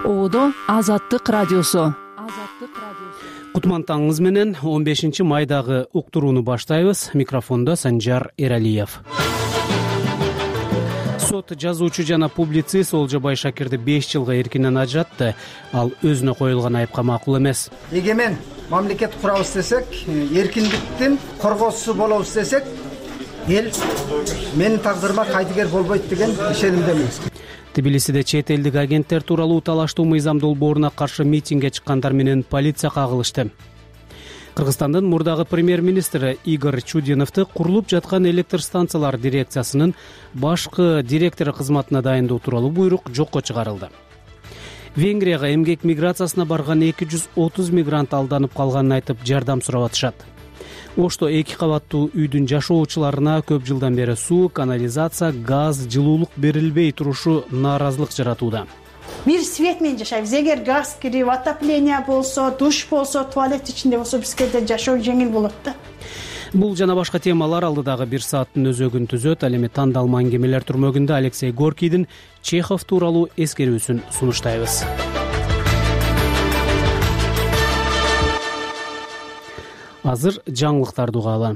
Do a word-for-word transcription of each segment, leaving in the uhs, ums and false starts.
Оодо Азаттык радиосу. Кутман таңыңыз менен он бешинчи майдагы уктурууну баштайбыз. Микрофондо Санжар Эралиев. Сот жазуучу жана публицист Олжобай Шакирди беш жылга эркинен ажыратты. Ал өзүнө коюлган айыпка макул эмес. Эгемен мамлекет курабыз десек, эркиндиктин коргоосу болобуз десек, эл менин тагдырыма кайтыгер болбойт деген ишенимдемин. Тбилисиде чет элдик агенттер тууралуу талаштуу мыйзам долбооруна каршы митингге чыккандар менен полиция кагылышты. Кыргызстандын мурдагы премьер-министри Игорь Чудиновду курулуп жаткан электр станциялар дирекциясынын башкы директору кызматына дайындоо тууралуу буйрук жокко чыгарылды. Венгрияга эмгек миграциясына барган эки жүз отуз мигрант алданып калганын айтып жардам сурап атышат. Ошто эки кабаттуу үйдүн жашоочуларына көп жылдан бери суу, канализация, газ, жылуулук берилбей турушу нааразылык жаратууда. Бир свет менен жашайбыз. Эгер газ кирип, отопление болсо, душ болсо, туалет ичинде болсо, бизге да жашоо жеңил болот да. Бул жана башка темалар алдыдагы бир сааттын өзөгүн түзөт. Ал эми тандалма аңгемелер түрмөгүндө Алексей Горкийдин Чехов тууралуу эскерүүсүн сунуштайбыз. Азыр жаңылыктарды угалы.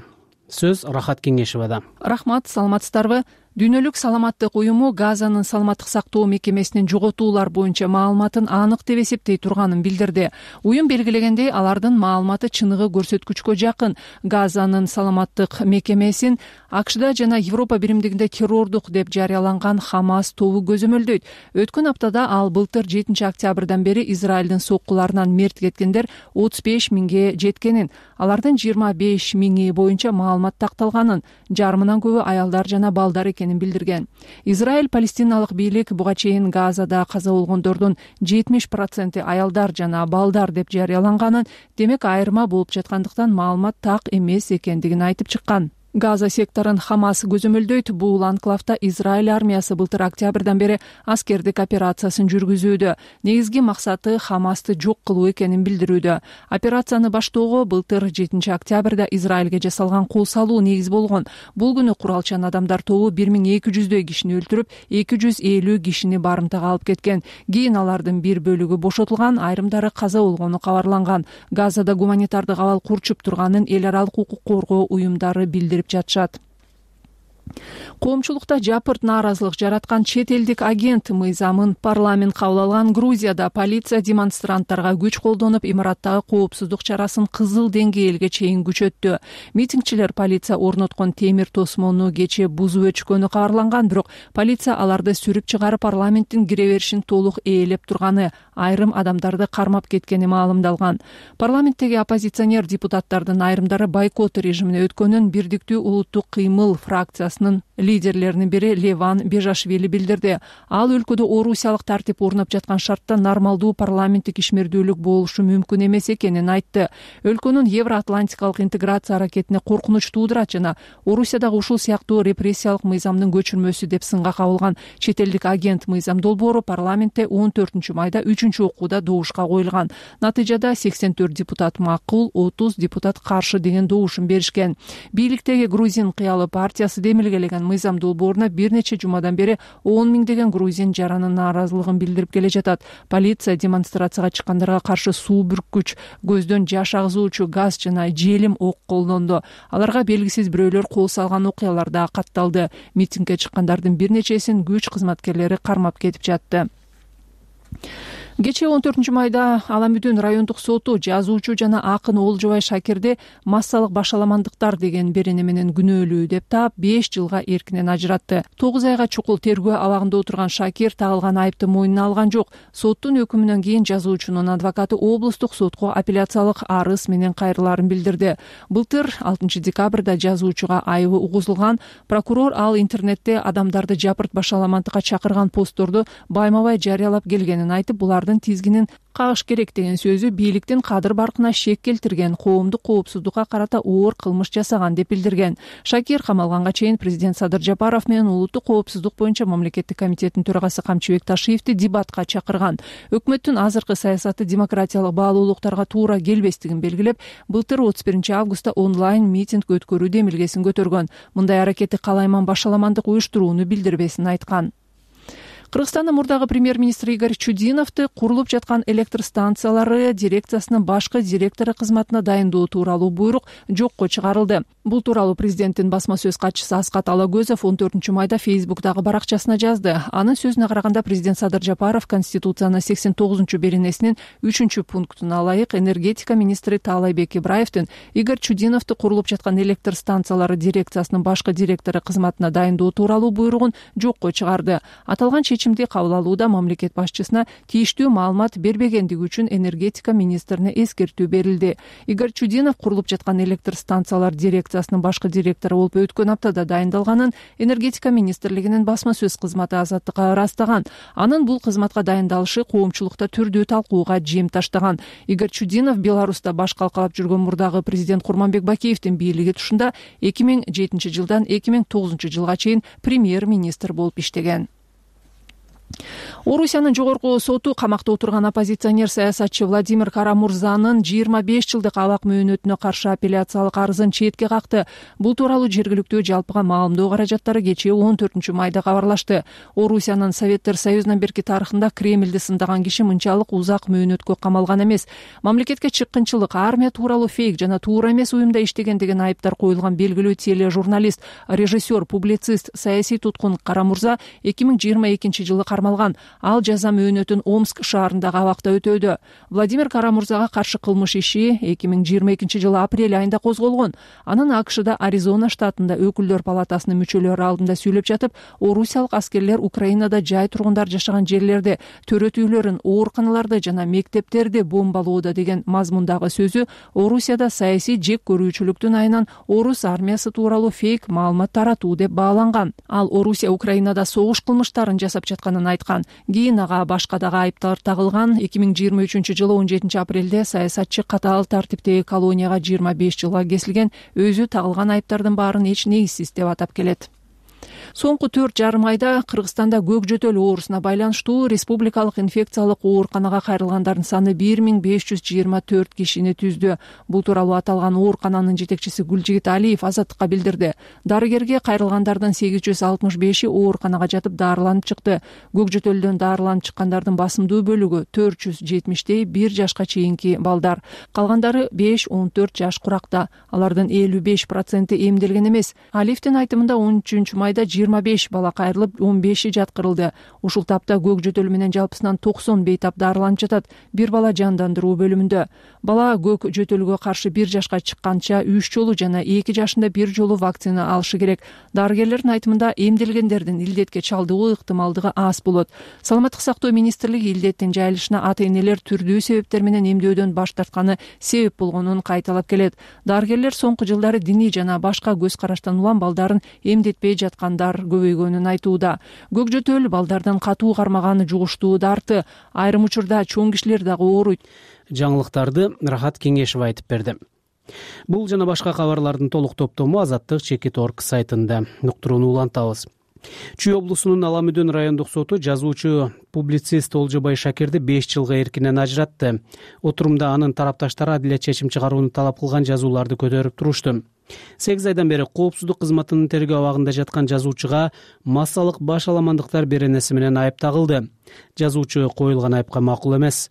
Сөз Рахат Кеңешевада. Рахмат, саламатсыздарбы? Дүйнөлүк саламаттык уюму Газанын саламаттык сактоо мекемесинин жоготуулар боюнча маалыматын анык деп эсептей турганын билдирди. Уюм белгилегендей, алардын маалыматы чыныгы көрсөткүчкө жакын. Газанын саламаттык мекемесин АКШда жана Европа биримдигинде террордук деп жарыяланган Хамас тобу көзөмөлдөйт. Өткөн аптада ал былтыр жетинчи октябрдан бери Израилдин соккуларынан мерт кеткендер отуз беш миңге жеткенин, алардын жыйырма беш миңи боюнча маалымат такталганын, жарымынан көбү аялдар жана балдар билдирген. Израиль палестиналык бийлик буга чейин Газада каза болгондордун жетимиш проценти аялдар жана балдар деп жарыяланганын, демек айырма болуп жаткандыктан маалымат так эмес экендигин айтып чыккан. Газа секторун Хамас көзөмөлдөйт. Бул анклавда Израиль армиясы былтыр октябрдан бери аскердик операциясын жүргүзүүдө. Негизги максаты Хамасты жок кылуу экенин билдирүүдө. Операцияны баштоого былтыр жетинчи октябрда Израилге жасалган кол салуу негиз болгон. Бул күнү куралчан адамдар тобу бир миң эки жүздөй кишини өлтүрүп, эки жүз элүү кишини барымтага алып кеткен. Кийин алардын бир бөлүгү бошотулган, айрымдары каза болгону кабарланган. Газада гуманитардык абал курчуп турганын эл аралык укук коргоо уюмдары билдирип жатышат. Коомчулукта жапырт нааразылык жараткан чет элдик агент мыйзамын парламент кабыл алган. Грузияда полиция демонстранттарга күч колдонуп, имараттагы коопсуздук чарасын кызыл деңгээлге чейин күчөттү. Митингчилер полиция орноткон темир тосмону кече бузуп өчкөнү кабарланган, бирок полиция аларды сүрүп чыгарып парламенттин кире беришин толук ээлеп турганы, айрым адамдарды кармап кеткени маалымдалган. Парламенттеги оппозиционер депутаттардын айрымдары бойкот режимине өткөнүн Бирдиктүү улуттук кыймыл фракциясынын лидерлеринин бири Леван Бежашвили билдирди. Ал өлкөдө орусиялык тартип орнап жаткан шартта нормалдуу парламенттик ишмердүүлүк болушу мүмкүн эмес экенин айтты. Өлкөнүн евроатлантикалык интеграция аракетине коркунуч туудурат жана Орусиядагы ушул сыяктуу репрессиялык мыйзамдын көчүрмөсү деп сынга кабылган чет элдик агент мыйзам долбоору парламентте он төртүнчү майда үчүнчү окууда добушка коюлган. Натыйжада сексен төрт депутат макул, отуз депутат каршы деген добушун беришкен. Бийликтеги Грузин кыялы партиясы демилгелеген мыйзам долбооруна бир нече жумадан бери он миңдеген грузин жаранын нааразылыгын билдирип келе жатат. Полиция демонстрацияга чыккандарга каршы суу бүрккүч, көздөн жаш агызуучу газ жана желим ок колдонду. Аларга белгисиз бирөөлөр кол салган окуялар да катталды. Митингге чыккандардын бир нечесин күч кызматкерлери кармап кетип жатты. Кечээ он төртүнчү майда Аламүдүн райондук соту жазуучу жана акын Олжобай Шакирди массалык башаламандыктар деген берене менен күнөөлүү деп таап беш жылга эркинен ажыратты. тогуз айга чукул тергөө абагында отурган Шакир тагылган айыпты мойнуна алган жок. Соттун өкүмүнөн кийин жазуучунун адвокаты облустук сотко апелляциялык арыз менен кайрылаарын билдирди. Былтыр алтынчы декабрда жазуучуга айыбы угузулган. Прокурор ал интернетте адамдарды жапырт башаламандыкка чакырган постторду байма-бай жарыялап келгенин айтып, булар тизгинин кагыш керек деген сөзү бийликтин кадыр баркына шек келтирген, коомдук коопсуздукка карата оор кылмыш жасаган деп билдирген. Шакир камалганга чейин президент Садыр Жапаров менен улуттук коопсуздук боюнча мамлекеттик комитеттин төрагасы Камчыбек Ташиевди дебатка чакырган. Өкмөттүн азыркы саясаты демократиялык баалуулуктарга туура келбестигин белгилеп, былтыр отуз биринчи августта онлайн митинг өткөрүү демилгесин көтөргөн. Мындай аракети калайман башаламандык уюштурууну билдирбесин айткан. Кыргызстандын мурдагы премьер-министри Игорь Чудиновду курулуп жаткан электр станциялары дирекциясынын башкы директору кызматына дайындоо тууралуу буйрук жокко чыгарылды. Бул тууралуу президенттин басма сөз катчысы Аскат Алагөзов он төртүнчү майда Фейсбуктагы баракчасына жазды. Анын сөзүнө караганда президент Садыр Жапаров Конституциянын сексен тогузунчу беренесинин үчүнчү пунктуна ылайык энергетика министри Таалайбек Ибраевдин Игорь Чудиновду курулуп жаткан электр станциялары дирекциясынын башкы директору кызматына дайындоо тууралуу буйругун жокко чыгарды. Аталган чечимди кабыл алууда мамлекет башчысына тийиштүү маалымат бербегендиги үчүн энергетика министрине эскертүү берилди. Игорь Чудинов курулуп жаткан электр станциялар дирекциясынын башкы директору болуп өткөн аптада дайындалганын энергетика министрлигинин басма сөз кызматы Азаттыкка ырастаган. Анын бул кызматка дайындалышы коомчулукта түрдүү талкууга жем таштаган. Игорь Чудинов Беларуста баш калкалап жүргөн мурдагы президент Курманбек Бакиевдин бийлиги тушунда эки миң жетинчи жылдан эки миң тогузунчу жылга чейин премьер-министр болуп иштеген. Орусиянын жогорку соту камакта отурган оппозиционер саясатчы Владимир Карамурзанын жыйырма беш жылдык абак мөөнөтүнө каршы апелляциялык арызын четке какты. Бул тууралуу жергиликтүү жалпыга маалымдоо каражаттары кечээ он төртүнчү майда кабарлашты. Орусиянын Советтер Союзунан берки тарыхында Кремльди сындаган киши мынчалык узак мөөнөткө камалган эмес. Мамлекетке чыккынчылык, армия тууралуу фейк жана туура эмес уюмда иштеген деген айыптар коюлган белгилүү тележурналист, режиссер, публицист, саясий туткун Карамурза эки миң жыйырма экинчи жылы кармалган. Ал жаза мөөнөтүн Омск шаарындагы абакта өтөөдө. Владимир Карамурзага каршы кылмыш иши эки миң жыйырма экинчи жылы апрель айында козголгон. Анын АКШда Аризона штатында өкүлдөр палатасынын мүчөлөрү алдында сүйлөп жатып, орусиялык аскерлер Украинада жай тургундар жашаган жерлерде төрөт үйлөрүн, ооруканаларды жана мектептерди бомбалоодо деген мазмундагы сөзү Орусияда саясий жек көрүүчүлүктүн айынан орус армиясы тууралуу фейк маалымат таратуу деп бааланган. Ал Орусия Украинада согуш кылмыштарын жасап жатканын айткан. Кийин ага башка дагы айыптар тагылган. эки миң жыйырма үчүнчү жылы он жетинчи апрелде саясатчы катаал тартиптеги колонияга жыйырма беш жылга кесилген. Өзү тагылган айыптардын баарын эч негизсиз деп атап келет. Соңку төрт жарым айда Кыргызстанда көк жөтөл оорусуна байланыштуу республикалык инфекциялык ооруканага кайрылгандардын саны бир миң беш жүз жыйырма төрт кишини түздү. Бул тууралуу аталган оорукананын жетекчиси Гүлжигит Алиев Азаттыкка билдирди. Дарыгерге кайрылгандардын сегиз жүз алтымыш беши ооруканага жатып даарыланып чыкты. Көк жөтөлдөн даарыланып чыккандардын басымдуу бөлүгү төрт жүз жетимиштей бир жашка чейинки балдар. Калгандары беш он төрт жаш куракта. Алардын элүү беш проценти эмделген эмес. Алиевдин айтымында он үчүнчү майда жыйырма беш бала кайрылып, он беши жаткырылды. Ушул тапта көк жөтөл менен жалпысынан токсон бейтап даарыланып жатат. Бир бала жандандыруу бөлүмүндө. Бала көк жөтөлгө каршы бир жашка чыкканча үч жолу жана эки жашында бир жолу вакцина алышы керек. Дарыгерлердин айтымында эмделгендердин илдетке чалдыгуу ыктымалдыгы аз болот. Саламаттык сактоо министрлиги илдеттин жайылышына ата-энелер түрдүү себептер менен эмдөөдөн баш тартканы себеп болгонун кайталап келет. Дарыгерлер соңку жылдары диний жана башка көз караштан улам балдарын эмдетпей жаткандар көбөйгөнүн айтууда. Көк жөтөл балдардан катуу кармаганы жугуштуу дарты. Айрым учурда чоң кишилер дагы ооруйт. Жаңылыктарды Рахат Кеңешева айтып берди. Бул жана башка кабарлардын толук топтому Азаттык чекит точка орг сайтында. Уктурууну улантабыз. Чүй облусунун Аламүдөн райондук соту жазуучу публицист Олжобай Шакирди беш жылга эркинен ажыратты. Отурумда анын тарапташтары адилет чечим чыгарууну талап кылган жазууларды көтөрүп турушту. сегиз айдан бери коопсуздук кызматынын тергөө абагында жаткан жазуучуга массалык баш аламандыктар беренеси менен айып тагылды. Жазуучу коюлган айыпка макул эмес.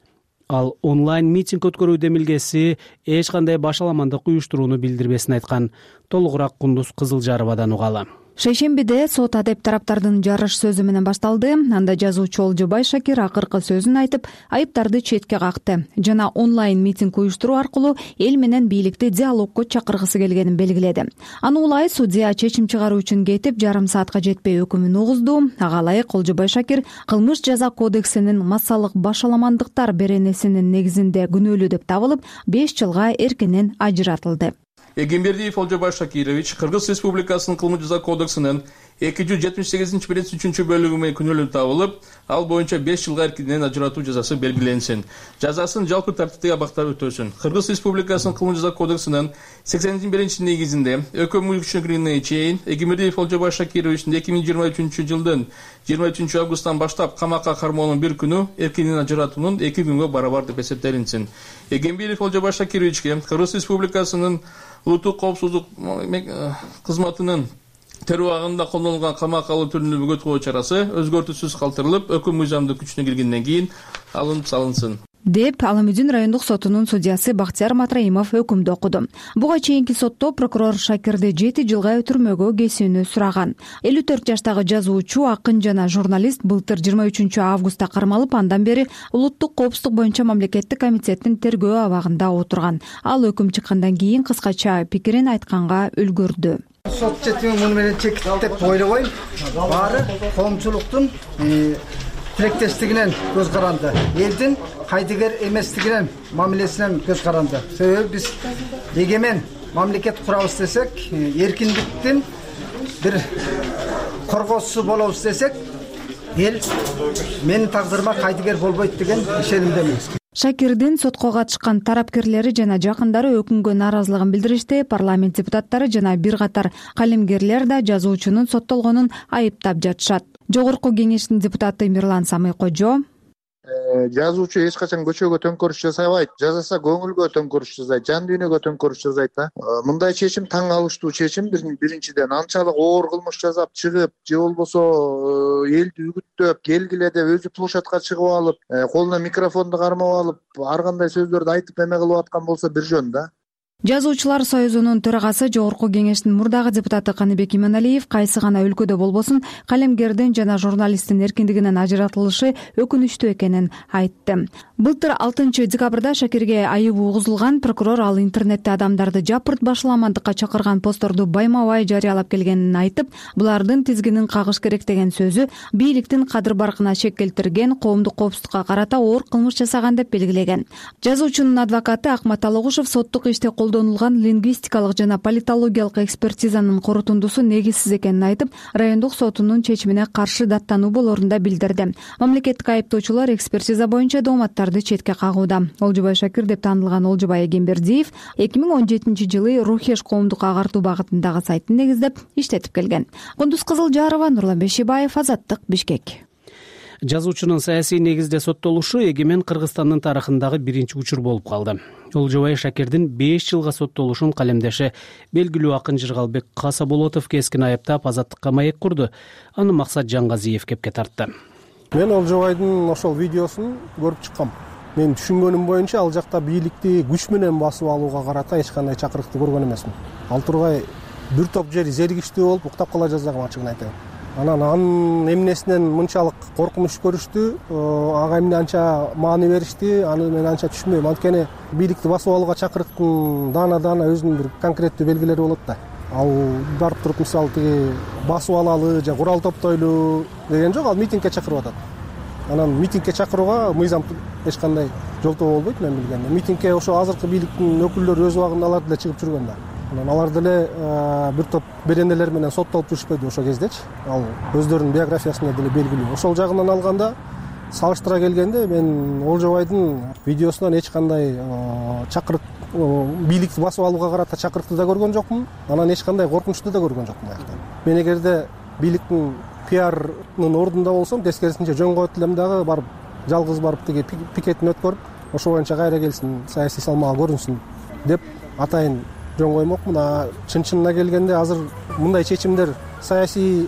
Ал онлайн митинг өткөрүү демилгеси эч кандай баш аламандык уюштурууну билдирбесин айткан. Толугураак Кундуз Кызылжаровадан угалы. Шейшембиде сот адеп тараптардын жарыш сөзү менен башталды. Анда жазуучу Олжобай Шакир акыркы сөзүн айтып, айыптарды четке какты жана онлайн митинг уюштуруу аркылуу эл менен бийликти диалогко чакыргысы келгенин белгиледи. Аны улай судья чечим чыгаруу үчүн кетип, жарым саатка жетпей өкүмүн угузду. Ага ылайык Олжобай Шакир кылмыш жаза кодексинин массалык баш аламандыктар беренесинин негизинде күнөөлүү деп табылып, беш жылга эркинен ажыратылды. Эгембердиев Олжобай Шакирович Кыргыз Республикасынын кылмыш жаза кодексинин эки жүз жетимиш сегизинчи биринчи үчүнчү бөлүгү менен күнөөлүү табылып, ал боюнча беш жылга эркинен ажыратуу жазасы белгиленсин. Жазасын жалпы тартиптеги абакта өтөсүн. Кыргыз Республикасынын кылмыш жаза кодексинин сексен биринчи негизинде өкмө күчүнө киргенге чейин Эгембердиев Олжобай Шакировичтин эки миң жыйырма үчүнчү жылдын жыйырма үчүнчү августтан баштап камакка кармоонун бир күнү эркинен ажыратуунун эки күнгө барабар деп эсептелинсин. Эгембердиев Олжобай Шакировичке Кыргыз Республикасынын улуттук коопсуздук кызматынын террор убагында колдонулган камакка алуу түрүнүн бөгөт чарасы өзгөртүүсүз калтырылып, өкүм мыйзамдык күчүнө киргенден кийин алынып салынсын деп Аламүдүн райондук сотунун судьясы Бактияр Матраимов өкүмдү окуду. Буга чейинки сотто прокурор Шакирди жети жылга түрмөгө кесүүнү сураган. элүү төрт жаштагы жазуучу, акын жана журналист былтыр жыйырма үчүнчү августта кармалып, андан бери улуттук коопсуздук боюнча мамлекеттик комитеттин тергөө абагында отурган. Ал өкүм чыккандан кийин кыскача пикирин айтканга үлгүрдү. Сот четими муну менен чекит деп ойлобойм. Баары коомчулуктун тилектештигинен көз каранды, элдин кайдыгер эместигинен мамилесинен көз каранды. Себеби биз эгемен мамлекет курабыз десек, эркиндиктин бир коргоосу болобуз десек, эл менин тагдырыма кайдыгер болбойт деген ишенимдемин. Шакирдин сотко катышкан тарапкерлери жана жакындары өкүмгө нааразылыгын билдиришти. Парламент депутаттары жана бир катар калемгерлер да жазуучунун соттолгонун айыптап жатышат. Жогорку кеңештин депутаты Мирлан Самый-Кожо жазуучу эч качан көчөгө төңкөрүш жасабайт, жазаса көңүлгө төңкөрүш жасайт, жан дүйнөгө төңкөрүш жасайт да. Мындай чечим таң калыштуу чечим. Биринчиден анчалык оор кылмыш жасап чыгып, же болбосо элди үгүттөп, келгиле деп өзү площадка чыгып алып, колуна микрофонду кармап алып, ар кандай сөздөрдү айтып эме кылып аткан болсо бир жөн да. Жазуучулар союзунун төрагасы, жогорку кеңештин мурдагы депутаты Каныбек Иманалиев кайсы гана өлкөдө болбосун калемгердин жана журналисттин эркиндигинен ажыратылышы өкүнүчтүү экенин айтты. Былтыр алтынчы декабрда Шакирге айыбы угузулган. Прокурор ал интернетте адамдарды жапырт башаламандыкка чакырган постторду байма-бай жарыялап келгенин айтып, булардын тизгинин кагыш керек деген сөзү бийликтин кадыр-баркына шек келтирген, коомдук коопсуздукка карата оор кылмыш жасаган деп белгилеген. Жазуучунун адвокаты Акмат Алогушев соттук иште колдонулган лингвистикалык жана политологиялык экспертизанын корутундусу негизсиз экенин айтып, райондук сотунун чечимине каршы даттануу болорун да билдирди. Мамлекеттик айыптоочулар экспертиза боюнча дооматтарды четке кагууда. Олжобай Шакир деп таанылган Олжобай Эгембердиев эки миң он жетинчи жылы Рухеш коомдук агартуу багытындагы сайтын негиздеп иштетип келген. Кундуз Кызылжарова, Нурлан Бешибаев, Азаттык, Бишкек. Жазуучунун саясий негизде соттолушу эгемен Кыргызстандын тарыхындагы биринчи учур болуп калды. Олжобай Шакирдин беш жылга соттолушун калемдеши белгилүү акын Жыргалбек Касаболотов кескин айыптап Азаттыкка маек курду. Аны Максат Жаңгазиев кепке тартты. Мен Олжобайдын ошол видеосун көрүп чыккам. Мен түшүнгөнүм боюнча ал жакта бийликти күч менен басып алууга карата эч кандай чакырыкты көргөн эмесмин. Ал тургай бир топ жери зергиштүү болуп уктап кала жаздаган, ачыгын айтайын. Анан анын эмнесинен мынчалык коркунуч көрүштү, ага эмне анча маани беришти, аны мен анча түшүнбөйм. Анткени бийликти басып алууга чакырыктын даана-даана өзүнүн бир конкреттүү белгилери болот да. Ал барып туруп мисалы тиги басып алалы же курал топтойлу деген жок, ал митингге чакырып атат. Анан митингге чакырууга мыйзам эч кандай жолтоо болбойт мен билгенде. Митингге ошо азыркы бийликтин өкүлдөрү өз убагында алар деле чыгып жүргөн да. Анан алар деле бир топ беренелер менен соттолуп жүрүшпөйдү ошол кездечи. Ал өздөрүнүн биографиясында деле белгилүү. Ошол жагынан алганда, салыштыра келгенде мен Олжобайдын видеосунан эч кандай чакырык бийликти басып алууга карата чакырыкты да көргөн жокмун. Анан эч кандай коркунучту да көргөн жокмун аяктан. Мен эгерде бийликтин пиарынын ордунда болсом, тескерисинче жөн коет элем дагы барып жалгыз барып тиги пикетин өткөрүп, ошо боюнча кайра келсин, саясий салмагы көрүнсүн деп атайын жөн коймокмун. А чын-чынына келгенде азыр мындай чечимдер саясий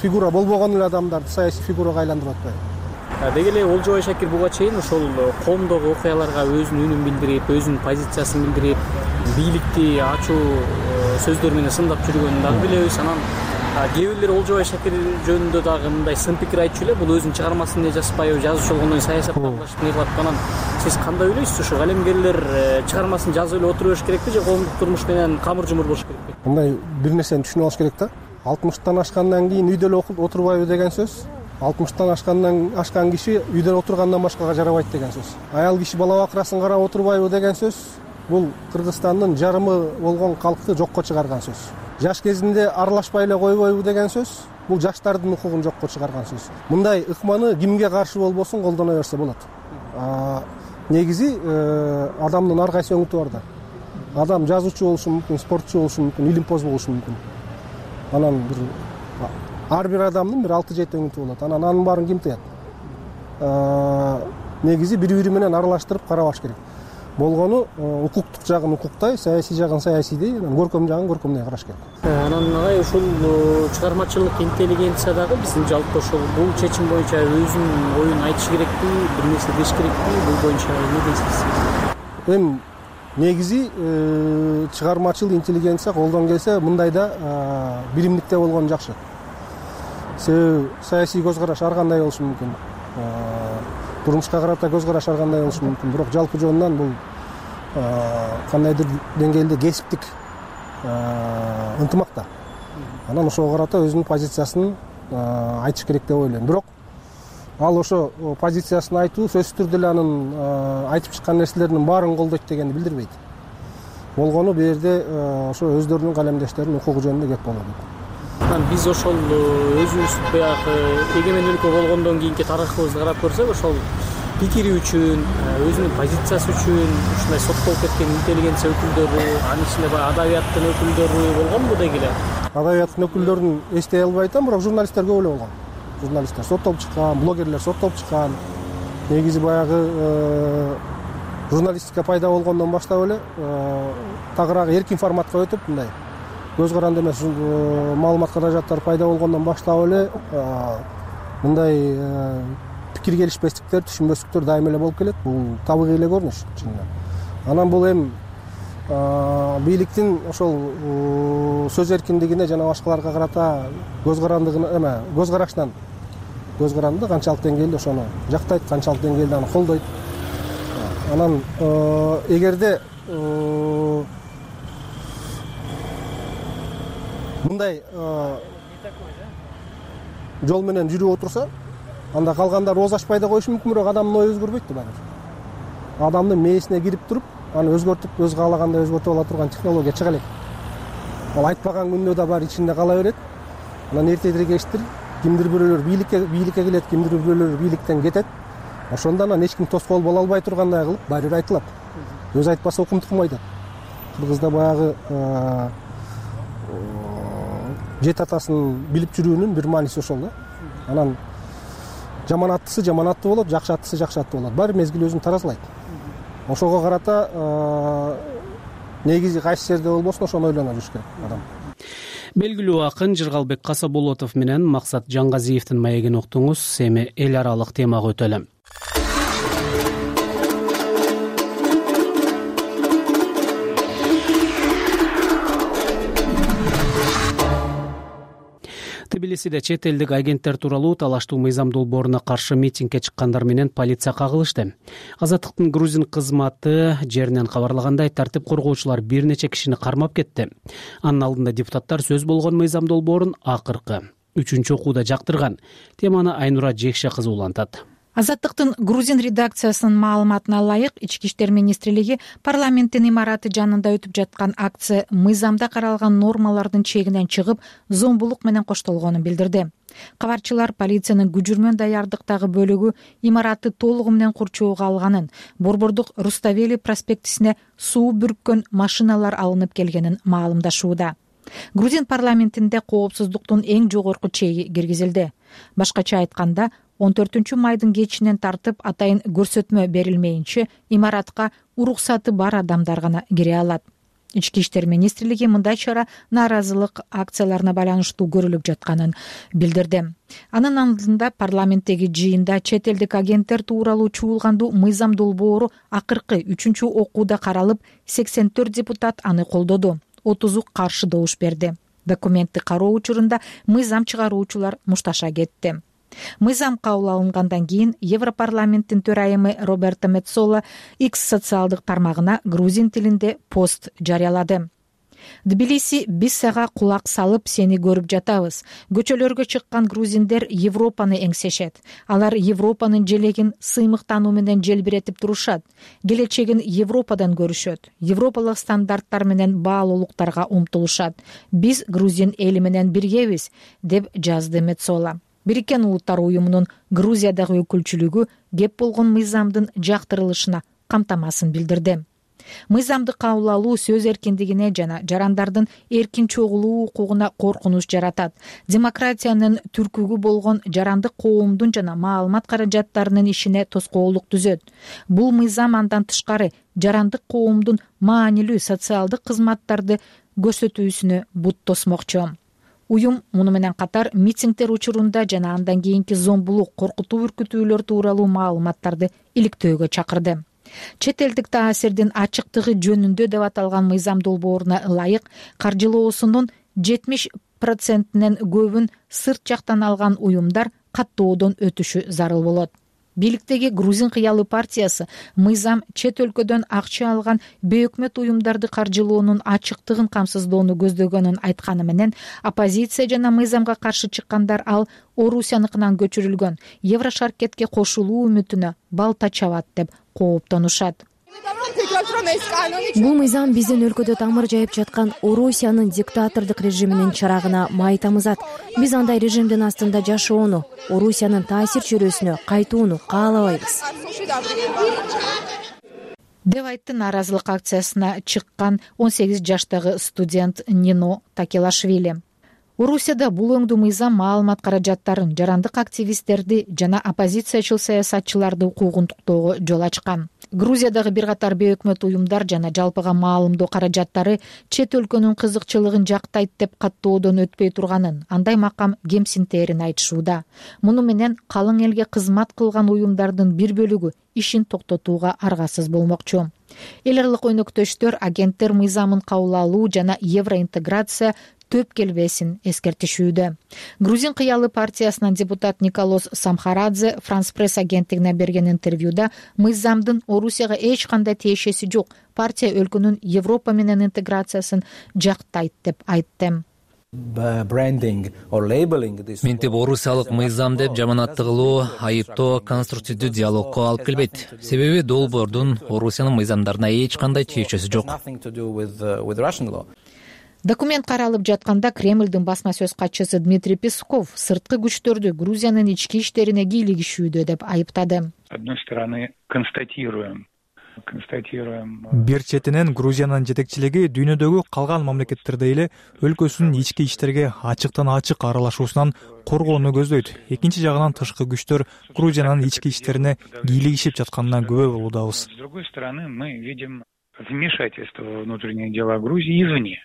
фигура болбогон эле адамдарды саясий фигурага айландырып атпайбы? Деги эле Олжобай Шакир буга чейин ошол коомдогу окуяларга өзүнүн үнүн билдирип, өзүнүн позициясын билдирип, бийликти ачуу сөздөр менен сындап жүргөнүн дагы билебиз. Анан кээ бирлер Олжобай Шакир жөнүндө дагы мындай сын пикир айтчу эле, бул өзүнүн чыгармасын эле жазбайбы, жазуучу болгондон кийин саясатты аралашып не кылат. Анан сиз кандай ойлойсуз? Ушу калемгерлер чыгармасын жазып эле отура бериш керекпи же коомдук турмуш менен камыр жумур болуш керекпи? Мындай бир нерсени түшүнүп алыш керек да. алтымыштан ашкандан кийин үйдө эле отурбайбы деген сөз. алтымыштан ашкандан ашкан киши үйдө отургандан башкага жарабайт деген сөз. Аял киши бала бакырасын карап отурбайбы деген сөз. Бул Кыргызстандын жарымы болгон калкты жокко чыгарган сөз. Жаш кезинде аралашпай эле койбойбу деген сөз. Бул жаштардын укугун жокко чыгарган сөз. Мындай ыкманы кимге каршы болбосун колдоно берсе болот. Негизи адамдын ар кайсы өңүтү бар да. Адам жазуучу болушу мүмкүн, спортчу болушу мүмкүн, илимпоз болушу мүмкүн. Анан бир ар бир адамдын бир алты жети өңүтү болот. Анан анын баарын ким тыят? Негизи бири-бири менен аралаштырып карабаш керек. болгону укуктук жагын укуктай, саясий жагын саясийдей, көркөм жагын көркөмдөй караш керек. Анан агай ушул чыгармачылык интеллигенция дагы биздин жалпы ошол бул чечим боюнча өзүнүн оюн айтыш керекпи, бир нерсе деш керекпи, бул боюнча эмне дейсиз? Эми негизи чыгармачыл интеллигенция колдон келсе мындайда билимдикте болгон жакшы. Себеби саясий көз караш ар кандай болушу мүмкүн, турмушка карата көз караш ар кандай болушу мүмкүн, бирок жалпы жөнүнөн бул кандайдыр деңгээлде кесиптик ынтымак да. Анан ошого карата өзүнүн позициясын айтыш керек деп ойлойм. Бирок ал ошо позициясын айтуу сөзсүз түрдө эле анын айтып чыккан нерселеринин баарын колдойт дегенди билдирбейт. Болгону бул жерде ошо өздөрүнүн калемдештеринин укугу жөнүндө кеп болот. Анан биз ошол өзүбүз баягы эгемен өлкө болгондон кийинки тарыхыбызды карап көрсөк, ошол пикири үчүн, өзүнүн позициясы үчүн ушундай соттолуп кеткен интеллигенция өкүлдөрү, анын ичинде баягы адабияттын өкүлдөрү болгонбу деги эле? Адабияттын өкүлдөрүн эстей албай атам, бирок журналисттер көп эле болгон. Журналисттер соттолуп чыккан, блогерлер соттолуп чыккан. Негизи баягы журналистика пайда болгондон баштап эле тагыраак эркин форматка өтүп, мындай көз каранды эмес маалымат каражаттары пайда болгондон баштап эле мындай пикир келишпестиктер, түшүнбөстүктөр дайыма эле болуп келет. Бул табигый эле көрүнүш чынында. Анан бул эми бийликтин ошол сөз эркиндигине жана башкаларга карата көз карандыгына эме көз карашынан көз каранды канчалык деңгээлде ошону жактайт, канчалык деңгээлде аны колдойт. Анан эгерде мындай жол менен жүрүп отурса, анда калгандар ооз ачпай да коюшу мүмкүн, бирок адамдын ою өзгөрбөйт да баары. Адамдын мээсине кирип туруп, аны өзгөртүп, өз каалагандай өзгөртүп ала турган технология чыга элек. Ал айтпаган күндө да бар ичинде кала берет. Анан эртедир кечтир кимдир бирөөлөр бийликке бийликке келет, кимдир бирөөлөр бийликтен кетет. Ошондо анан эч ким тоскоол боло албай тургандай кылып баары бир айтылат. Өз айтпаса укум тукум айтат. Кыргызда баягы жет атасын билип жүрүүнүн бир мааниси ошол да. Анан жаман аттысы жаман атты болот, жакшы аттысы жакшы атты болот. Баары мезгил өзүн таразалайт. Ошого карата негизи кайсы жерде болбосун ошону ойлоно жүрүш керек адам. Белгилүү акын Жыргалбек Касаболотов менен Максат Жаңгазиевдин маегин уктуңуз. Эми эл аралык темага өтөлү. Тбилисиде чет элдик агенттер тууралуу талаштуу мыйзам долбооруна каршы митингге чыккандар менен полиция кагылышты. Азаттыктын грузин кызматы жеринен кабарлагандай, тартип коргоочулар бир нече кишини кармап кетти. Анын алдында депутаттар сөз болгон мыйзам долбоорун акыркы үчүнчү окууда жактырган. Теманы Айнура Жекше кызы улантат. Азаттыктын грузин редакциясынын маалыматына ылайык, Ички иштер министрлиги парламенттин имараты жанында өтүп жаткан акция мыйзамда каралган нормалардын чегинен чыгып, зомбулук менен коштолгонун билдирди. Кабарчылар полициянын күжүрмөн даярдыктагы бөлүгү имаратты толугу менен курчоого алганын, Борбордук Руставели проспектисине суу бүрккөн машиналар алынып келгенин маалымдашууда. Грузин парламентинде коопсуздуктун эң жогорку чеги киргизилди. Башкача айтканда, он төртүнчү майдын кечинен тартып атайын көрсөтмө берилмейинче имаратка уруксаты бар адамдар гана кире алат. Ички иштер министрлиги мындай чара нааразылык акцияларына байланыштуу көрүлүп жатканын билдирди. Анын алдында парламенттеги жыйында чет элдик агенттер тууралуу чуулгандуу мыйзам долбоору акыркы үчүнчү окууда каралып, сексен төрт депутат аны колдоду, отузу каршы добуш берди. Документти кароо учурунда мыйзам чыгаруучулар мушташа кетти. Мыйзам кабыл алынгандан кийин Европарламенттин төрайымы Роберто Меццола X социалдык тармагына грузин тилинде пост жарыялады. Тбилиси, биз сага кулак салып сени көрүп жатабыз. Көчөлөргө чыккан грузиндер Европаны эңсешет. Алар Европанын желегин сыймыктануу менен желбиретип турушат. Келечегин Европадан көрүшөт. Европалык стандарттар менен баалуулуктарга умтулушат. Биз грузин эли менен биргебиз, деп жазды Меццола. Бириккен Улуттар уюмунун Грузиядагы өкүлчүлүгү кеп болгон мыйзамдын жактырылышына камтамасын билдирди. мыйзамды кабыл алуу сөз эркиндигине жана жарандардын эркин чогулуу укугуна коркунуч жаратат. Демократиянын түркүгү болгон жарандык коомдун жана маалымат каражаттарынын ишине тоскоолдук түзөт. Бул мыйзам андан тышкары жарандык коомдун маанилүү социалдык кызматтарды көрсөтүүсүнө бут тосмокчу. Уюм муну менен катар митингдер учурунда жана андан кийинки зомбулук, коркутуу үркүтүүлөр тууралуу маалыматтарды иликтөөгө чакырды. Чет элдик таасирдин ачыктыгы жөнүндө деп аталган мыйзам долбооруна ылайык каржылоосунун жетимиш процентинен көбүн сырт жактан алган уюмдар каттоодон өтүшү зарыл болот. Бийликтеги Грузин кыялы партиясы мыйзам чет өлкөдөн акча алган бейөкмөт уюмдарды каржылоонун ачыктыгын камсыздоону көздөгөнүн айтканы менен, оппозиция жана мыйзамга каршы чыккандар ал Орусияныкынан көчүрүлгөн Еврошаркетке кошулуу үмүтүнө балта чабат деп кооптонушат. Бул мыйзам биздин өлкөдө тамыр жайып жаткан Орусиянын диктатордук режиминин чырагына май тамызат. Биз андай режимдин астында жашоону, Орусиянын таасир чөйрөсүнө кайтууну каалабайбыз. деп айтты нааразылык акциясына чыккан он сегиз жаштагы студент Нино Такелашвили. Орусияда бул өңдүү мыйзам маалымат каражаттарын, жарандык активисттерди жана оппозициячыл саясатчыларды укугунтуктоого жол ачкан. Грузиядагы бир катар бейөкмөт уюмдар жана жалпыга маалымдоо каражаттары чет өлкөнүн кызыкчылыгын жактайт деп каттоодон өтпөй турганын, андай макам кемсинтерин айтышууда. Муну менен калың элге кызмат кылган уюмдардын бир бөлүгү ишин токтотууга аргасыз болмокчу. Эл аралык өнөктөштөр агенттер мыйзамын кабыл алуу жана евроинтеграция төп келбесин эскертишүүдө. Грузин кыялы партиясынын депутат Николос Самхарадзе Франс пресс агенттигине берген интервьюда мыйзамдын Орусияга эч кандай тиешеси жок, партия өлкөнүн Европа менен интеграциясын жактайт деп айтты. Мынтип орусиялык мыйзам деп жаманатты кылуу, айыптоо конструктивдүү диалогко алып келбейт. Себеби долбоордун Орусиянын мыйзамдарына эч кандай тиешеси жок. Документ каралып жатканда Кремлдин басма сөз катчысы Дмитрий Песков сырткы күчтөрдү Грузиянын ички иштерине кийлигишүүдө деп айыптады. С одной стороны, констатируем Бир четинен Грузиянын жетекчилиги дүйнөдөгү калган мамлекеттердей эле өлкөсүнүн ички иштерге ачыктан ачык аралашуусунан коргоону көздөйт. Экинчи жагынан тышкы күчтөр Грузиянын ички иштерине кийлигишип жатканына күбө болуудабыз. С другой стороны, мы видим вмешательство во внутренние дела Грузии извне.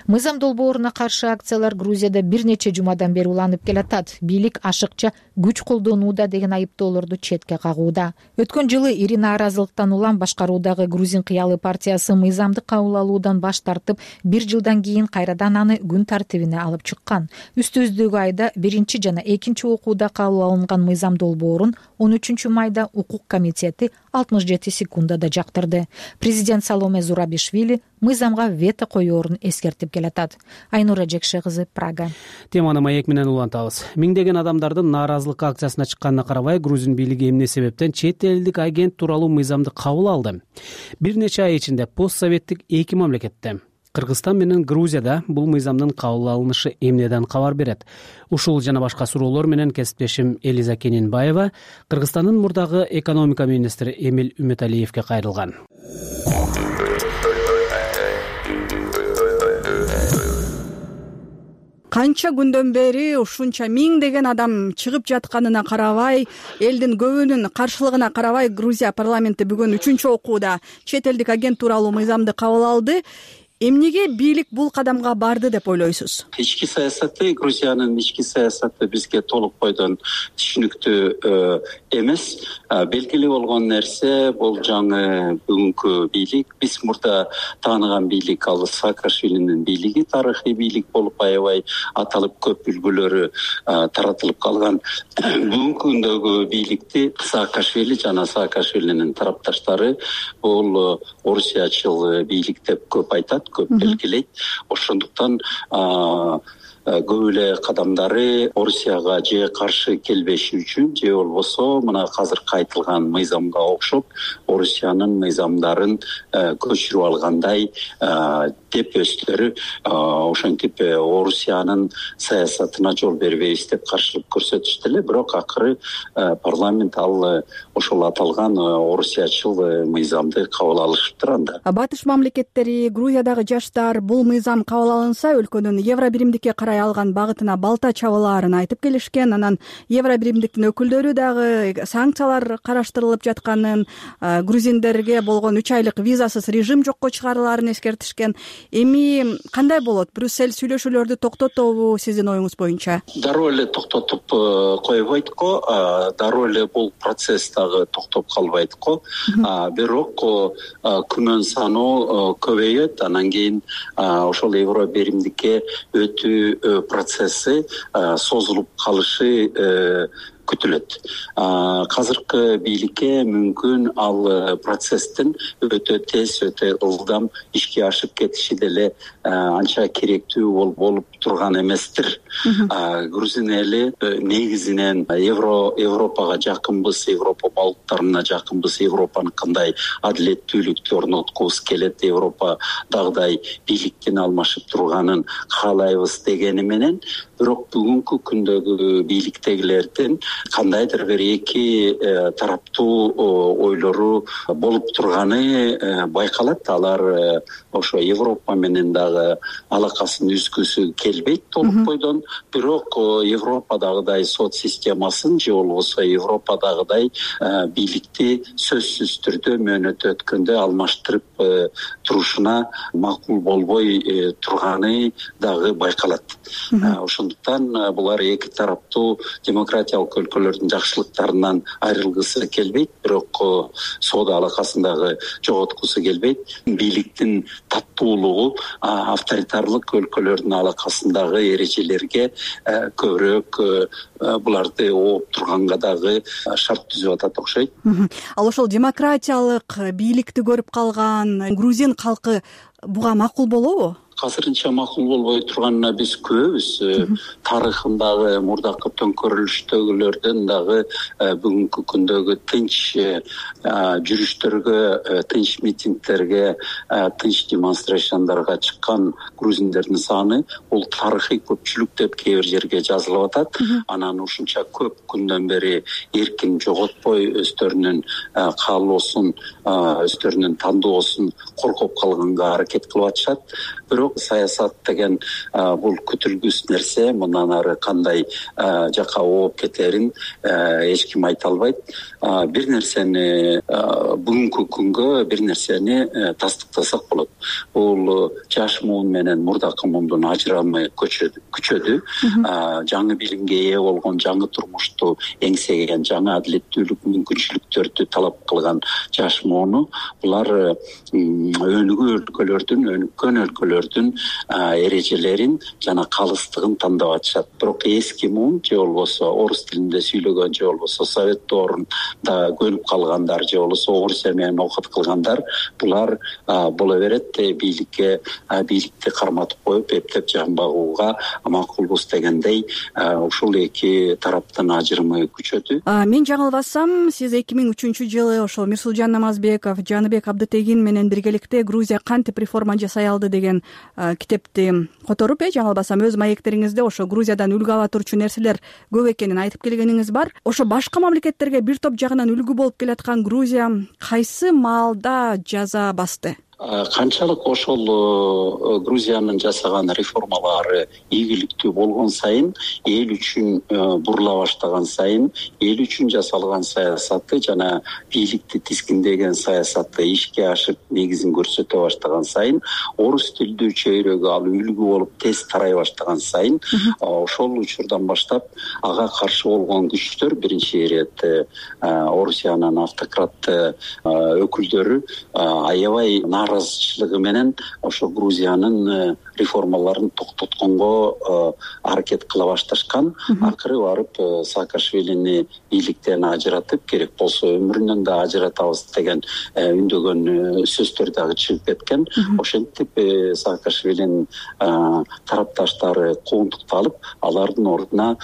Мыйзам долбооруна каршы акциялар Грузияда бир нече жумадан бери уланып келатат. Бийлик ашыкча күч колдонууда деген айыптоолорду четке кагууда. Өткөн жылы ири нааразылыктан улам башкаруудагы Грузин кыялы партиясы мыйзамды кабыл алуудан баш тартып, бир жылдан кийин кайрадан аны күн тартибине алып чыккан. Үстүбүздөгү айда биринчи жана экинчи окууда кабыл алынган мыйзам долбоорун он үчүнчү майда укук комитети алтымыш жети секундада жактырды. Президент Саломе Зурабишвили мыйзамга вето коёорун эскертип келатат. Айнура Жекше кызы, Прага. Теманы маек менен улантабыз. Миңдеген адамдардын нааразылык акциясына чыкканына карабай, Грузин бийлиги эмне себептен чет элдик агент тууралуу мыйзамды кабыл алды? Бир нече ай ичинде постсоветтик эки мамлекетте Кыргызстан менен Грузияда бул мыйзамдын кабыл алынышы эмнеден кабар берет? Ушул жана башка суроолор менен кесиптешим Элиза Кенинбаева Кыргызстандын мурдагы экономика министри Эмил Үмөталиевге кайрылган. Канча күндөн бери ушунча миңдеген адам чыгып жатканына карабай, элдин көбүнүн каршылыгына карабай, Грузия парламенти бүгүн үчүнчү окууда чет элдик агент тууралуу мыйзамды кабыл алды. Эмнеге бийлик бул кадамга барды деп ойлойсуз? Ички саясаты, Грузиянын ички саясаты бизге толук бойдон түшүнүктүү эмес. Белгилүү болгон нерсе бул жаңы бүгүнкү бийлик. Биз мурда тааныган бийлик ал Саакашвилинин бийлиги, тарыхый бийлик болуп аябай аталып көп үлгүлөрү таратылып калган. Бүгүнкү күндөгү бийликти Саакашвили жана Саакашвилинин тарапташтары бул орусиячыл бийлик деп көп айтат, көп белгилейт. Ошондуктан көп эле кадамдары Орусияга же каршы келбеши үчүн же болбосо мына азыркы айтылган мыйзамга окшоп Орусиянын мыйзамдарын көчүрүп алгандай деп өздөрү ошентип Орусиянын саясатына жол бербейбиз деп каршылык көрсөтүштү эле. Бирок акыры парламент ал ошол аталган орусиячыл мыйзамды кабыл алышыптыр. Анда батыш мамлекеттери, Грузиядагы жаштар бул мыйзам кабыл алынса өлкөнүн евро биримдикке карай алган багытына балта чабылаарын айтып келишкен. Анан евро биримдиктин өкүлдөрү дагы санкциялар караштырылып жатканын, грузиндерге болгон үч айлык визасыз режим жокко чыгарылаарын эскертишкен. Эми кандай болот? Брюссель сүйлөшүүлөрдү токтотобу сиздин оюңуз боюнча? Дароо эле токтотуп койбойт го, дароо эле бул процесс дагы токтоп калбайт го. Бирок күнөн саны көбөйөт, анан кийин ошол евро биримдикке өтүү процесси созулуп калышы күтүлөт. Азыркы бийликке мүмкүн ал процесстин өтө тез, өтө ылдам ишке ашып кетиши деле анча керектүү болуп турган эместир. Грузин эли негизинен евро Европага жакынбыз, Европа балыктарына жакынбыз, Европанын кандай адилеттүүлүктү орноткубуз келет, Европадагыдай бийликтин алмашып турганын каалайбыз дегени менен, бирок бүгүнкү күндөгү бийликтегилердин кандайдыр бир эки тараптуу ойлору болуп турганы байкалат. Алар ошо Европа менен дагы алакасын үзгүсү келбейт толук бойдон, бирок Европадагыдай сот системасын же болбосо Европадагыдай бийликти сөзсүз түрдө мөөнөт өткөндө алмаштырып турушуна макул болбой турганы дагы байкалат. Ошондуктан булар эки тараптуу демократиялык өлкөлөрдүн жакшылыктарынан айрылгысы келбейт, бирок соода алакасын дагы жоготкусу келбейт. Бийликтин таттуулугу авторитарлык өлкөлөрдүн алакасындагы эрежелерге көбүрөөк буларды ооп турганга дагы шарт түзүп атат окшойт. Ал ошол демократиялык бийликти көрүп калган грузин калкы буга макул болобу? Азырынча макул болбой турганына биз күбөбүз. Тарыхындагы мурдакы төңкөрүлүштөгүлөрдөн дагы бүгүнкү күндөгү тынч жүрүштөргө, тынч митингдерге, тынч демонстрацияларга чыккан грузиндердин саны бул тарыхый көпчүлүк деп кээ бир жерге жазылып атат. Анан ушунча көп күндөн бери эркин жоготпой өздөрүнүн каалоосун, өздөрүнүн тандоосун коргоп калганга аракет кылып атышат. Бирок саясат деген бул күтүлгүс нерсе, мындан ары кандай жака ооп кетерин эч ким айта албайт. Бир нерсени бүгүнкү күнгө бир нерсени тастыктасак болот. Бул жаш муун менен мурдакы муундун ажырамы күчөдү. Жаңы билимге ээ болгон, жаңы турмушту эңсеген, жаңы адилеттүүлүк мүмкүнчүлүктөрдү талап кылган жаш мууну булар өнүгүү өлкөлөрдүн, өнүккөн өлкөлөрдүн эрежелерин жана калыстыгын тандап атышат. Бирок эски муун же болбосо орус тилинде сүйлөгөн, же болбосо совет доорунда көнүп калгандар, же болбосо орусия менен окут кылгандар, булар боло берет, бийликке бийликти карматып коюп эптеп жамбагууга макулбуз дегендей ушул эки тараптын ажырымы күчөдү. Мен жаңылбасам, сиз эки миң үчүнчү жылы ошол Мирсулжан Намазбеков, Жаныбек Абдытегин менен биргеликте Грузия кантип реформа жасай алды деген китепти которуп, э жаңылбасам, өз маектериңизде ошо Грузиядан үлгү ала турчу нерселер көп экенин айтып келгениңиз бар. Ошо башка мамлекеттерге бир топ жагынан үлгү болуп келаткан Грузия кайсы маалда жаза басты? Канчалык ошол Грузиянын жасаган реформалары ийгиликтүү болгон сайын, эл үчүн бурула баштаган сайын, эл үчүн жасалган саясаты жана бийликти тискиндеген саясаты ишке ашып негизин көрсөтө баштаган сайын, орус тилдүү чөйрөгө ал үлгү болуп тез тарай баштаган сайын, ошол учурдан баштап ага каршы болгон күчтөр, биринчи ирет Орусиянын автократты өкүлдөрү аябай нааразычылыгы менен ошо Грузиянын реформаларын токтотконго аракет кыла башташкан. Акыры барып Саакашвилини бийликтен ажыратып, керек болсо өмүрүнөн да ажыратабыз деген үндөгөн сөздөр дагы чыгып кеткен. Ошентип Саакашвилинин тарапташтары куугунтукталып, алардын ордуна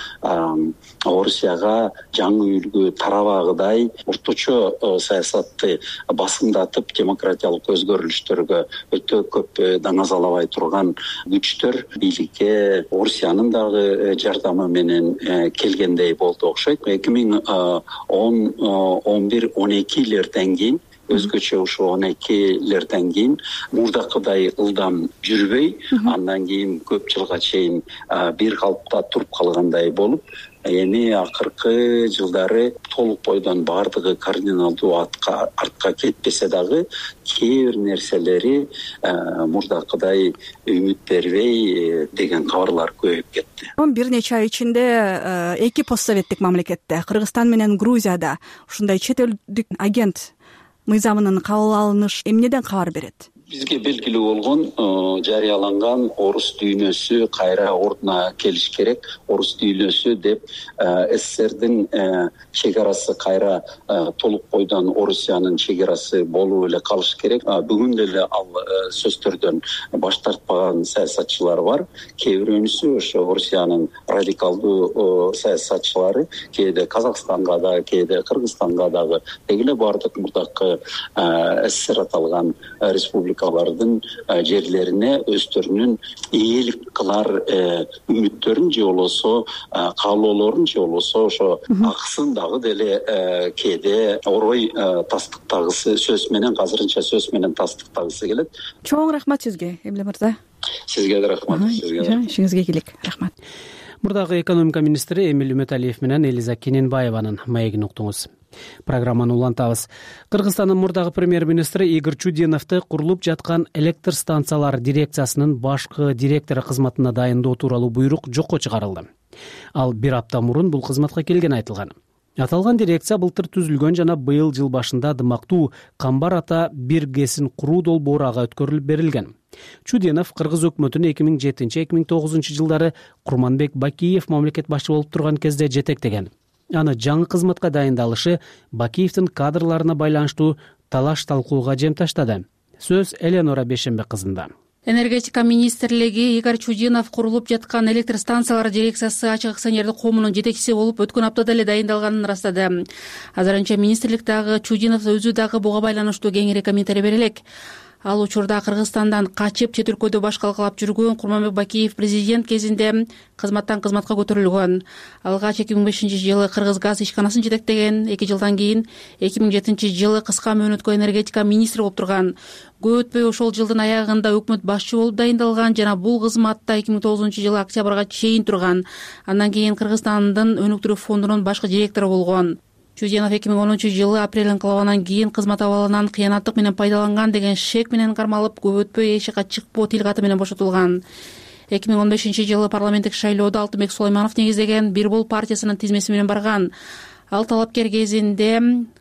Орусияга жаңы үлгү тарабагыдай орточо саясатты басымдатып, демократиялык өзгөрүлүштөргө өтө көп даңазалабай турган күчтөр бийликке Орусиянын дагы жардамы менен келгендей болду окшойт. эки миң он бир он экилерден кийин өзгөчө ушул он экилерден кийин мурдакыдай ылдам жүрбөй, андан кийин көп жылга чейин бир калыпта туруп калгандай болуп, эми акыркы жылдары толук бойдон баардыгы кардиналдуу артка кетпесе дагы кээ бир нерселери мурдакыдай үмүт бербей деген кабарлар көбөйүп кетти. Бир нече ай ичинде эки постсоветтик мамлекетте, Кыргызстан менен Грузияда ушундай чет элдик агент мыйзамынын кабыл алынышы эмнеден кабар берет? Бизге белгилүү болгон жарыяланган орус дүйнөсү кайра ордуна келиш керек. Орус дүйнөсү деп СССРдин чегарасы кайра толук бойдон Орусиянын чегарасы болуп эле калыш керек. Бүгүн деле ал сөздөрдөн баш тартпаган саясатчылар бар. Кээ бирөөнүсү ошо Орусиянын радикалдуу саясатчылары кээде Казакстанга да, кээде Кыргызстанга дагы дегеле бардык мурдакы СССР аталган республика алардын жерлерине өздөрүнүн ээлик кылар үмүттөрүн же болбосо каалоолорун же болбосо ошо акысын дагы деле кээде орой тастыктагысы сөз менен, азырынча сөз менен тастыктагысы келет. Чоң рахмат сизге, Эмиле мырза. Сизге да рахмат. Сизге да. Ишиңизге ийгилик. Рахмат. Мурдагы экономика министри Эмил Үмөталиев менен Элиза Кененбаеванын маегин уктуңуз. Программаны улантабыз. Кыргызстандын мурдагы премьер-министри Игорь Чудиновду курулуп жаткан электр станциялар дирекциясынын башкы директору кызматына дайындоо тууралуу буйрук жокко чыгарылды. Ал бир апта мурун бул кызматка келгени айтылган. Аталган дирекция былтыр түзүлгөн жана быйыл жыл башында дымактуу Камбар ата бир гэсин куруу долбоору ага өткөрүлүп берилген. Чудинов кыргыз өкмөтүнүн эки миң жетинчи эки миң тогузунчу жылдары Курманбек Бакиев мамлекет башчы болуп турган кезде жетектеген. Аны жаңы кызматка дайындалышы Бакиевдин кадрларына байланыштуу талаш талкууга жем таштады. Сөз Эленора Бешембек кызында. Энергетика министрлиги Игорь Чудинов курулуп жаткан электр станциялар дирекциясы ачык акционердик коомунун жетекчиси болуп өткөн аптада эле дайындалганын ырастады. Азырынча министрлик дагы Чудинов өзү дагы буга байланыштуу кеңири комментарий бере элек. Ал учурда Кыргызстандан качып чет өлкөдө баш калкалап жүргөн Курманбек Бакиев президент кезинде кызматтан кызматка көтөрүлгөн. Алгач эки миң бешинчи жылы Кыргыз газ ишканасын жетектеген, эки жылдан кийин эки миң жетинчи жылы кыска мөөнөткө энергетика министри болуп турган. Көп өтпөй ошол жылдын аягында өкмөт башчы болуп дайындалган жана бул кызматта эки миң тогузунчу жылы октябрга чейин турган. Андан кийин Кыргызстандын өнүктүрүү фондунун башкы директору болгон. Чудинов эки миң онунчу жылы апрель инкылабынан кийин кызмат абалынан кыянаттык менен пайдаланган деген шек менен кармалып, көп өтпөй эшикка чыкпоо тил каты менен бошотулган. эки миң он бешинчи жылы парламенттик шайлоодо Алтынбек Сулайманов негиздеген Бир Бол партиясынын тизмеси менен барган. Ал талапкер кезинде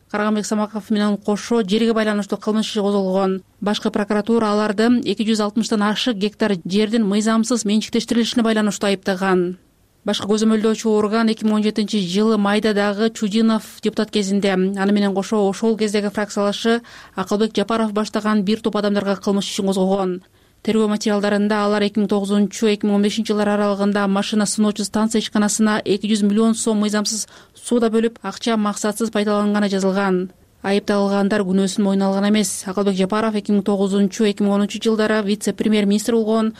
Карганбек Самаков менен кошо жерге байланыштуу кылмыш иши козголгон. Башкы прокуратура аларды эки жүз алтымыштан ашык гектар жердин мыйзамсыз менчиктештирилишине байланыштуу айыптаган. Башкы көзөмөлдөөчү орган эки миң он жетинчи жылы майда дагы Чудинов депутат кезинде, аны менен кошо ошол кездеги фракциялашы Акылбек Жапаров баштаган бир топ адамдарга кылмыш ишин козгогон. Тергөө материалдарында алар эки миң тогузунчу эки миң он бешинчи жылдар аралыгында машина сыноочу станция ишканасына эки жүз миллион сом мыйзамсыз сууда бөлүп, акча максатсыз пайдаланганы жазылган. Айыпталгандар күнөөсүн мойнуна алган эмес. Акылбек Жапаров эки миң тогузунчу эки миң онунчу жылдары вице-премьер-министр болгон.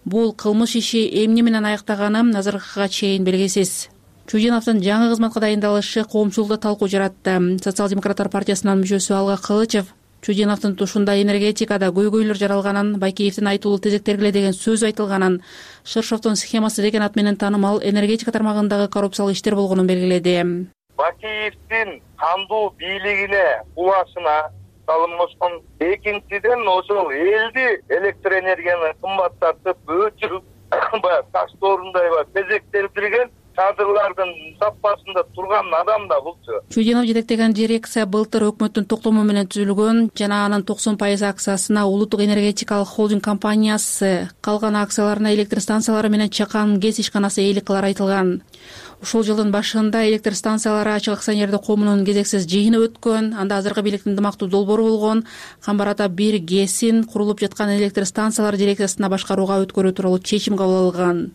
Бул кылмыш иши эмне менен аяктаганы азыркыга чейин белгисиз. Чудиновдун жаңы кызматка дайындалышы коомчулукта талкуу жаратты. Социал-демократтар партиясынын мүчөсү Алга Кылычев Чудиновдун тушунда энергетикада көйгөйлөр жаралганын, Бакиевдин айтуулуу тезектергиле деген сөзү айтылганын, Шыршовдун схемасы деген ат менен таанымал энергетика тармагындагы коррупциялык иштер болгонун белгиледи. Бакиевдин кандуу бийлигине улашына салынмашкан. Экинчиден ошол элди электр энергияны кымбаттатып, өчүрүп, баягы таш доорундай тезектирген кадрлардын саппасында турган адам да булчу. Чудинов жетектеген дирекция былтыр өкмөттүн токтому менен түзүлгөн жана анын токсон пайыз акциясына улуттук энергетикалык холдинг компаниясы, калган акцияларына электр станциялары менен чакан гез ишканасы ээлик кылары айтылган. Ушул жылдын башында электр станциялары ачык акционердик коомунун кезексиз жыйыны өткөн. Анда азыркы бийликтин ынтымактуу долбоору болгон Камбар ата бир ГЭСин курулуп жаткан электр станциялар дирекциясына башкарууга өткөрүү тууралуу чечим кабыл алынган.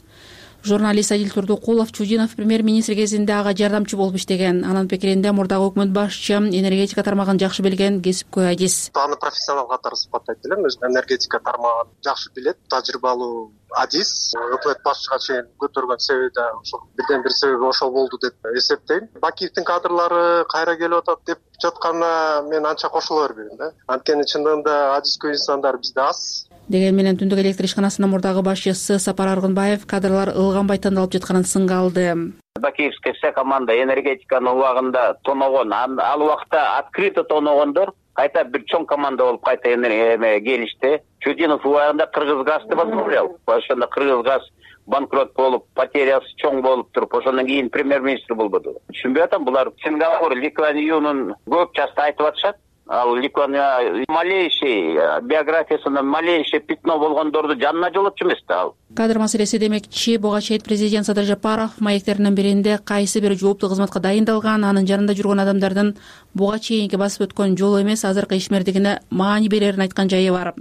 Журналист Адил Турдукулов Чудинов премьер-министр кезинде ага жардамчы болуп иштеген. Анын пикиринде мурдагы өкмөт башчы энергетика тармагын жакшы билген кесипкөй адис. Аны профессионал катары сыпаттайт элем. Өзү энергетика тармагын жакшы билет, тажрыйбалуу адис. Өкмөт башчыга чейин көтөргөн себеби да ошол бирден бир себеби ошол болду деп эсептейм. Бакиевдин кадрлары кайра келип атат деп жатканына мен анча кошула бербейм да. Анткени чындыгында адискөй инсандар бизде аз. Деген менен түндүк электр ишканасынын мурдагы башчысы Сапар Аргынбаев кадрлар ылганбай тандалып жатканын сынга алды. Бакиевская вся команда энергетиканын убагында тоногон, ал убакта открыто тоногондор кайта бир чоң команда болуп кайта эме келишти. Чудинов убагында Кыргызгазды возглавлял. Ошондо Кыргызгаз банкрот болуп, потерясы чоң болуп туруп, ошондон кийин премьер-министр болбоду. Түшүнбөй атам, булар Сингапур, Ликваньюнун көп часто айтып атышат. Ал Ликвания малейший биографиясында малейший пятно болгондорду жанына жолотчу эмес да ал. Кадр маселеси демекчи, буга чейин президент Садыр Жапаров маектеринин биринде кайсы бир жооптуу кызматка дайындалган, анын жанында жүргөн адамдардын буга чейинки басып өткөн жолу эмес, азыркы ишмердигине маани берерин айткан жайы бар.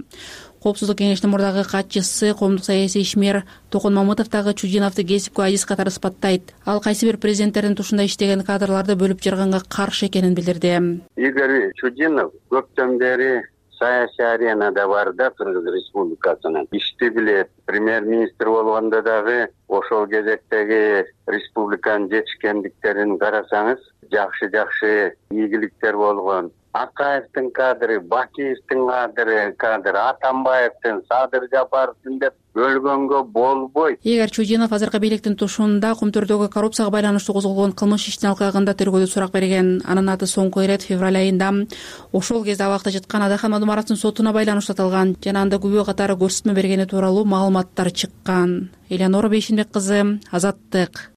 Коопсуздук кеңештин мурдагы катчысы, коомдук саясий ишмер Токон Мамытов дагы Чудиновду кесипкөй адис катары сыпаттайт. Ал кайсы бир президенттердин тушунда иштеген кадрларды бөлүп жарганга каршы экенин билдирди. Игорь Чудинов көптөн бери саясий аренада бар да, Кыргыз Республикасынын ишти билет. Премьер-министр болгондо дагы ошол кезектеги республиканын жетишкендиктерин карасаңыз, жакшы-жакшы ийгиликтер болгон. Акаевдин кадры, Бакиевдин кадры, кадр Атамбаевдин, Садыр Жапаровдун деп бөлгөнгө болбойт. Игорь Чудинов азыркы бийликтин тушунда Кумтөрдөгү коррупцияга байланыштуу козголгон кылмыш иштин алкагында тергөөдө сурак берген. Анын аты соңку ирет февраль айында ошол кезде абакта жаткан Адахан Мадумаровдун сотуна байланыштуу аталган жана анда күбө катары көрсөтмө бергени тууралуу маалыматтар чыккан. Элеонора Бейшинбек кызы, Азаттык.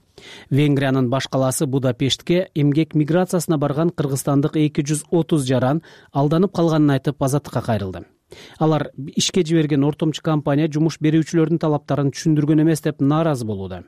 Венгриянын баш калаасы Будапештке эмгек миграциясына барган кыргызстандык эки жүз отуз жаран алданып калганын айтып азаттыкка кайрылды. Алар ишке жиберген ортомчу компания жумуш берүүчүлөрдүн талаптарын түшүндүргөн эмес деп нааразы болууда.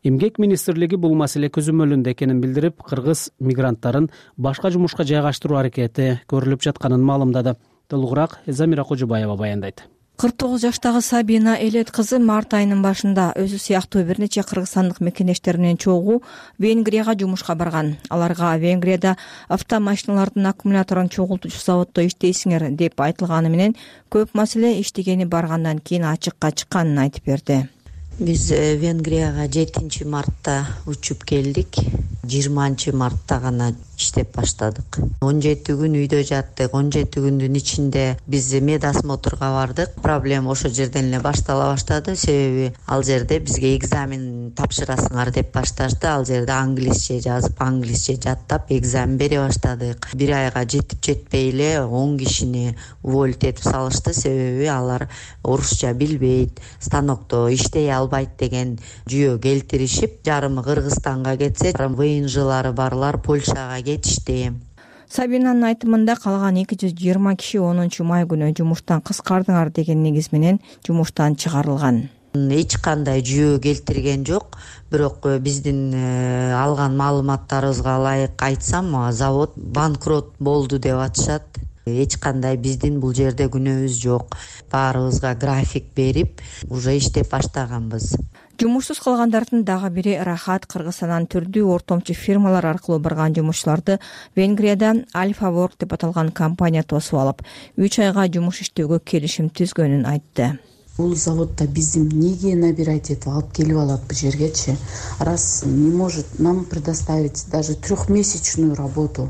Эмгек министрлиги бул маселе көзөмөлүндө экенин билдирип, кыргыз мигранттарын башка жумушка жайгаштыруу аракети көрүлүп жатканын маалымдады. Толугураак Замира Кожубаева баяндайт. кырк тогуз жаштагы Сабина Элет кызы март айынын башында өзү сыяктуу бир нече кыргызстандык мекендештери менен чогуу Венгрияга жумушка барган. Аларга Венгрияда автомашиналардын аккумуляторун чогултуучу заводдо иштейсиңер деп айтылганы менен көп маселе иштегени баргандан кийин ачыкка чыкканын айтып берди. Биз Венгрияга жетинчи мартта учуп келдик. жыйырманчы мартта гана иштеп баштадык. он жети күн үйдө жаттык. он жети күндүн ичинде биз медосмотрга бардык. Проблема ошол жерден эле баштала баштады. Себеби ал жерде бизге экзамен тапшырасыңар деп башташты. Ал жерде англисче жазып, англисче жаттап экзамен бере баштадык. Бир айга жетип жетпей эле он кишини уволить этип салышты. Себеби алар орусча билбейт, станокто иштей албайт деген жүйө келтиришип, жарымы Кыргызстанга кетсе, выйынжылары барлар Польшага кетишти. Сабинанын айтымында калган эки жүз жыйырма киши онунчу май күнү жумуштан кыскардыңар деген негиз менен жумуштан чыгарылган. Эч кандай жүйө келтирген жок, бирок биздин алган маалыматтарыбызга ылайык айтсам, завод банкрот болду деп атышат. Эч кандай биздин бул жерде күнөөбүз жок. Баарыбызга график берип, уже иштеп баштаганбыз. Жумушсуз калгандардын дагы бири Рахат. Кыргызстандан түрдүү ортомчу фирмалар аркылуу барган жумушчуларды Венгрияда Альфа Work деп аталган компания тосуп алып, үч айга жумуш иштөөгө келишим түзгөнүн айтты. Бул заводда биздин неге набирать этип алып келип алат бул жергечи? Раз не может нам предоставить даже трехмесячную работу.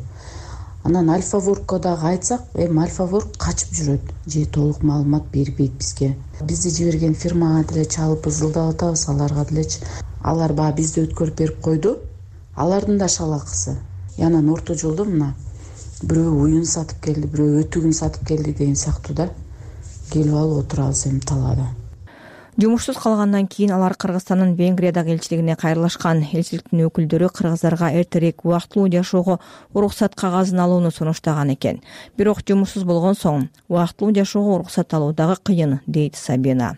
Анан Альфа Work'ка дагы айтсак, эми Альфа Work качып жүрөт, же толук маалымат бербейт бизге. Бизди жиберген фирмага деле чалып ызылдап атабыз, аларга делечи. Алар баа бизди өткөрүп берип койду. Алардын да шалакысы. Анан орто жолдо мына бирөө уюн сатып келди, бирөө өтүгүн сатып келди деген сыяктуу да келип алып отурабыз эми талаада. Жумушсуз калгандан кийин алар Кыргызстандын Венгриядагы элчилигине кайрылышкан. Элчиликтин өкүлдөрү кыргыздарга эртерээк убактылуу жашоого уруксат кагазын алууну сунуштаган экен. Бирок жумушсуз болгон соң убактылуу жашоого уруксат алуу дагы кыйын, дейт Сабина.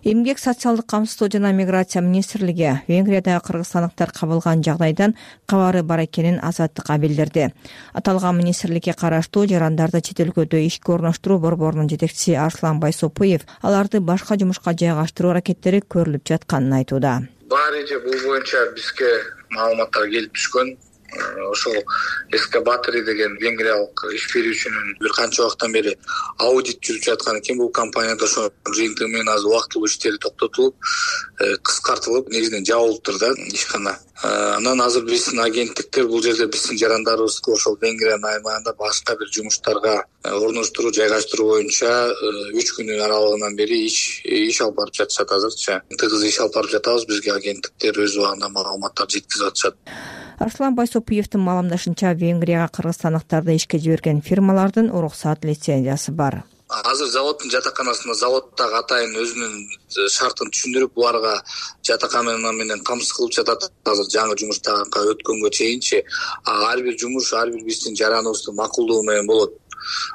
Эмгек, социалдык камсыздоо жана миграция министрлиги Венгриядагы кыргызстандыктар кабылган жагдайдан кабары бар экенин Азаттыкка билдирди. Аталган министрликке караштуу жарандарды чет өлкөдө ишке орноштуруу борборунун жетекчиси Арслан Байсопуев аларды башка жумушка жайгаштыруу аракеттери көрүлүп жатканын айтууда. Бар эже бул боюнча бизге маалыматтар келип түшкөн. Ошол Эскабатори деген венгриялык иш берүүчүнүн бир канча убакыттан бери аудит жүрүп жаткан экен. Бул компанияда ошо жыйынтыгы менен азыр убактылуу иштери токтотулуп, кыскартылып, негизинен жабылыптыр да ишкана. Анан азыр биздин агенттиктер бул жерде биздин жарандарыбызды ошол Венгриянын аймагында башка бир жумуштарга орноштуруу, жайгаштыруу боюнча үч күнүн аралыгынан бери иш иш алып барып жатышат. Азырчы тыгыз иш алып барып жатабыз. Бизге агенттиктер өз убагында маалыматтар жеткизип атышат. Арслан Байсопуевдин маалымдашынча, Венгрияга кыргызстандыктарды ишке жиберген фирмалардын уруксат лицензиясы бар. Азыр заводдун жатаканасында заводдагы атайын өзүнүн шартын түшүндүрүп, буларга жатакана менен камсыз кылып жатат. Азыр жаңы жумуштарга өткөнгө чейинчи ар бир жумуш ар бир биздин жараныбыздын макулдугу менен болот.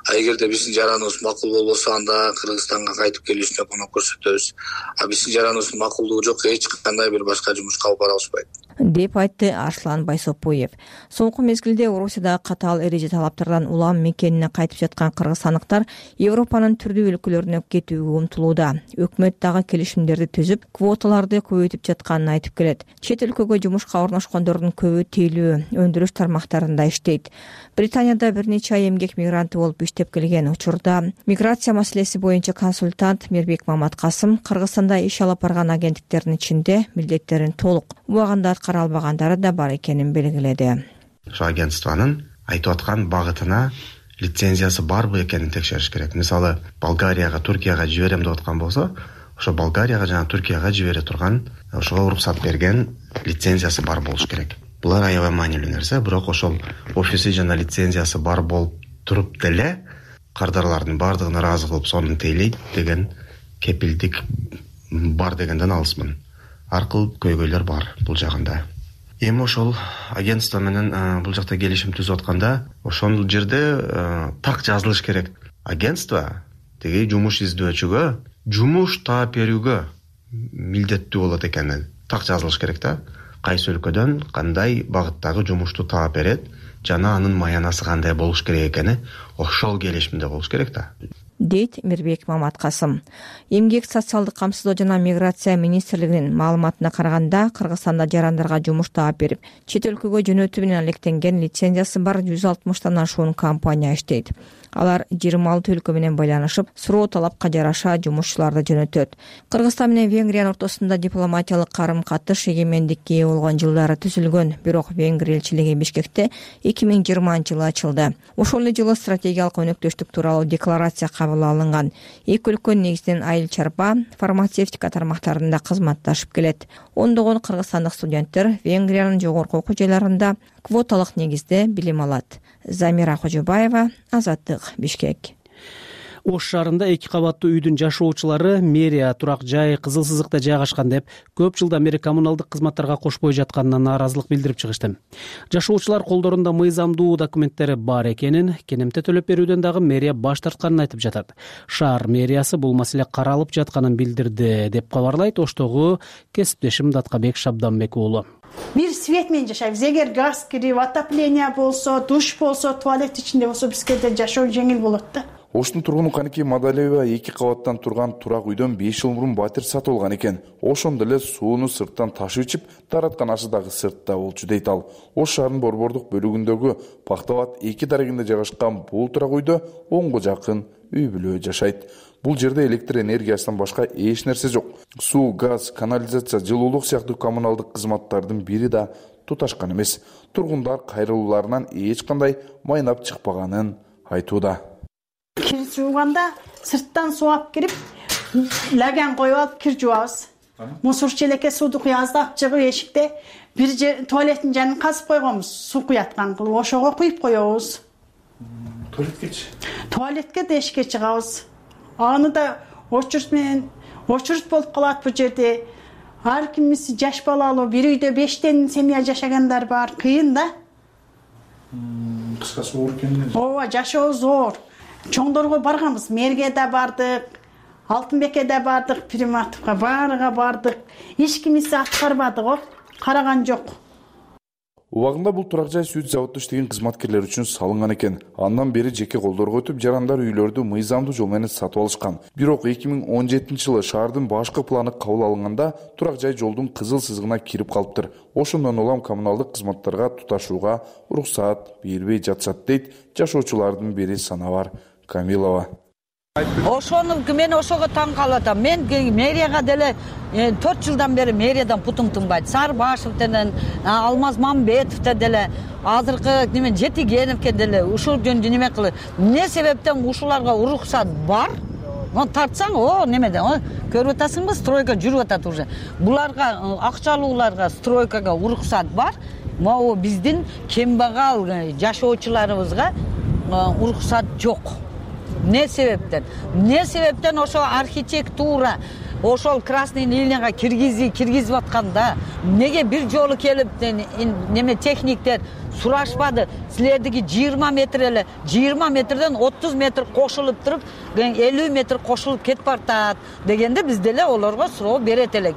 А эгерде биздин жараныбыз макул болбосо, анда Кыргызстанга кайтып келүүсүнө көмөк көрсөтөбүз. А биздин жараныбыздын макулдугу жок, эч кандай бир башка жумушка алып бара алышпайт, деп айтты Арслан Байсопуев. Соңку мезгилде Орусиядагы катаал эреже талаптардан улам мекенине кайтып жаткан кыргызстандыктар Европанын түрдүү өлкөлөрүнө кетүүгө умтулууда. Өкмөт дагы келишимдерди түзүп, квоталарды көбөйтүп жатканын айтып келет. Чет өлкөгө жумушка орношкондордун көбү тейлөө, өндүрүш тармактарында иштейт. Британияда бир нече ай эмгек мигранты болуп иштеп келген учурда миграция маселеси боюнча консультант Мирбек Маматкасым Кыргызстанда иш алып барган агенттиктердин ичинде милдеттерин толук убагында аткара албагандары да бар экенин белгиледи. Ошо агентствонун айтып аткан багытына лицензиясы барбы экенин текшериш керек. Мисалы, Болгарияга, Туркияга жиберем деп аткан болсо, ошо Болгарияга жана Туркияга жибере турган, ошого уруксат берген лицензиясы бар болуш керек. Булар аябай маанилүү нерсе, бирок ошол офиси жана лицензиясы бар болуп туруп деле кардарлардын бардыгын ыраазы кылып сонун тейлейт деген кепилдик бар дегенден алысмын. Ар кыл көйгөйлөр бар бул жагында. Эми ошол агентство менен бул жакта келишим түзүп атканда, ошол жерде так жазылыш керек. Агентство теги жумуш издөөчүгө жумуш таап берүүгө милдеттүү болот экенин так жазылыш керек да. Кайсы өлкөдөн кандай багыттагы жумушту таап берет жана анын маянасы кандай болуш керек экени ошол келишимде болуш керек да, дейт Мирбек Маматкасым. Эмгек, социалдык камсыздоо жана миграция министрлигинин маалыматына караганда, Кыргызстанда жарандарга жумуш таап берип, чет өлкөгө жөнөтүү менен алектенген лицензиясы бар жүз алтымыштан ашуун компания иштейт. Алар жыйырма алты өлкө менен байланышып, суроо талапка жараша жумушчуларды жөнөтөт. Кыргызстан менен Венгриянын ортосунда дипломатиялык карым-катыш эгемендикке ээ болгон жылдары түзүлгөн, бирок Венгрия элчилиги Бишкекте эки миң жыйырманчы жылы ачылды. Ошол эле жылы стратегиялык өнөктөштүк тууралуу декларация кабыл алынган. Эки өлкө негизинен айыл чарба, фармацевтика тармактарында кызматташып келет. Ондогон кыргызстандык студенттер Венгриянын жогорку окуу жайларында квоталык негизде билим алат. Замира Кожобаева, Азаттык, Бишкек. Ош шаарында эки кабаттуу үйдүн жашоочулары мэрия турак жай Кызыл Сызыкта жайгашкан деп көп жылдан бери коммуналдык кызматтарга кошпой жатканына нааразылык билдирип чыгышты. Жашоочулар колдорунда мыйзамдуу документтери бар экенин, кенемте төлөп берүүдөн дагы мэрия баш тартканын айтып жатат. Шаар мэриясы бул маселе каралып жатканын билдирди деп кабарлайт Оштогу кесиптешим Даткабек Шабданбек уулу. Бир свет менен жашайбыз. Эгер газ кирип, отопление болсо, душ болсо, туалет ичинде болсо бизге да жашоо жеңил болот да. Оштун тургуну Каники Мадалиева эки кабаттан турган турак үйдөн беш жыл мурун батир сатып алган экен. Ошондо эле сууну сырттан ташып ичип, тараткан ашы дагы сыртта болчу дейт ал. Ош шаарынын борбордук бөлүгүндөгү Пактабат эки дарегинде жайгашкан бул турак үйдө онго жакын үй бүлө жашайт. Бул жерде электр энергиясынан башка эч нерсе жок. Суу, газ, канализация, жылуулук сыяктуу коммуналдык кызматтардын бири да туташкан эмес. Тургундар кайрылууларынан эч кандай майнап чыкпаганын айтууда. Кир жууганда сырттан суу алып кирип, лаган коюп алып кир жуабыз. Мусор челекке сууду куябыз да, чыгып эшикте бир туалеттин жанын казып койгонбуз, суу куяткан кылып, ошого куюп коебуз. Туалеткечи? Туалетке да эшикке чыгабыз. Аны да очурт менен очередь болуп калат бул жерде. Ар кимиси жаш балалуу, бир үйдө бештен семья жашагандар бар, кыйын да. Кыскасы оор экен. Ооба, жашоо зор. Чоңдорго барганбыз, мэрге да бардык, Алтынбекке да бардык, Приматовго баарыга бардык. Эч кимиси аткарбады го, караган жок. Убагында бул турак жай сүт заводдо иштеген кызматкерлер үчүн салынган экен. Андан бери жеке колдорго өтүп, жарандар үйлөрдү мыйзамдуу жол менен сатып алышкан. Бирок эки миң он жетинчи жылы шаардын башкы планы кабыл алынганда турак жай жолдун кызыл сызыгына кирип калыптыр. Ошондон улам коммуналдык кызматтарга туташууга уруксаат бербей жатышат дейт жашоочулардын бири Санабар Камилова. Ошону мен ошого таң калып атам. Мен мэрияга деле төрт жылдан бери мэриядан путум тынбайт. Сарбашев менен Алмаз Мамбетов деле, азыркы неме Жетигеновке деле ушул жөнүндө неме кылып. Эмне себептен ушуларга уруксат бар? Он тартсаң, о, немеде, көрүп атасыңбы, стройка жүрүп атат уже. Буларга, акчалууларга стройкага уруксат бар. Могу биздин кембагал жашоочуларыбызга уруксат жок. Не себептен? Не себептен ошо архитектура, ошол красный линияга киргизи, киргизип атканда, неге бир жолу келип неме техниктер сурашпады? Силердики жыйырма метр эле, жыйырма метрден отуз метр кошулуп туруп, элүү метр кошулуп кетип бартат дегенде биз деле олорго суроо берет элек.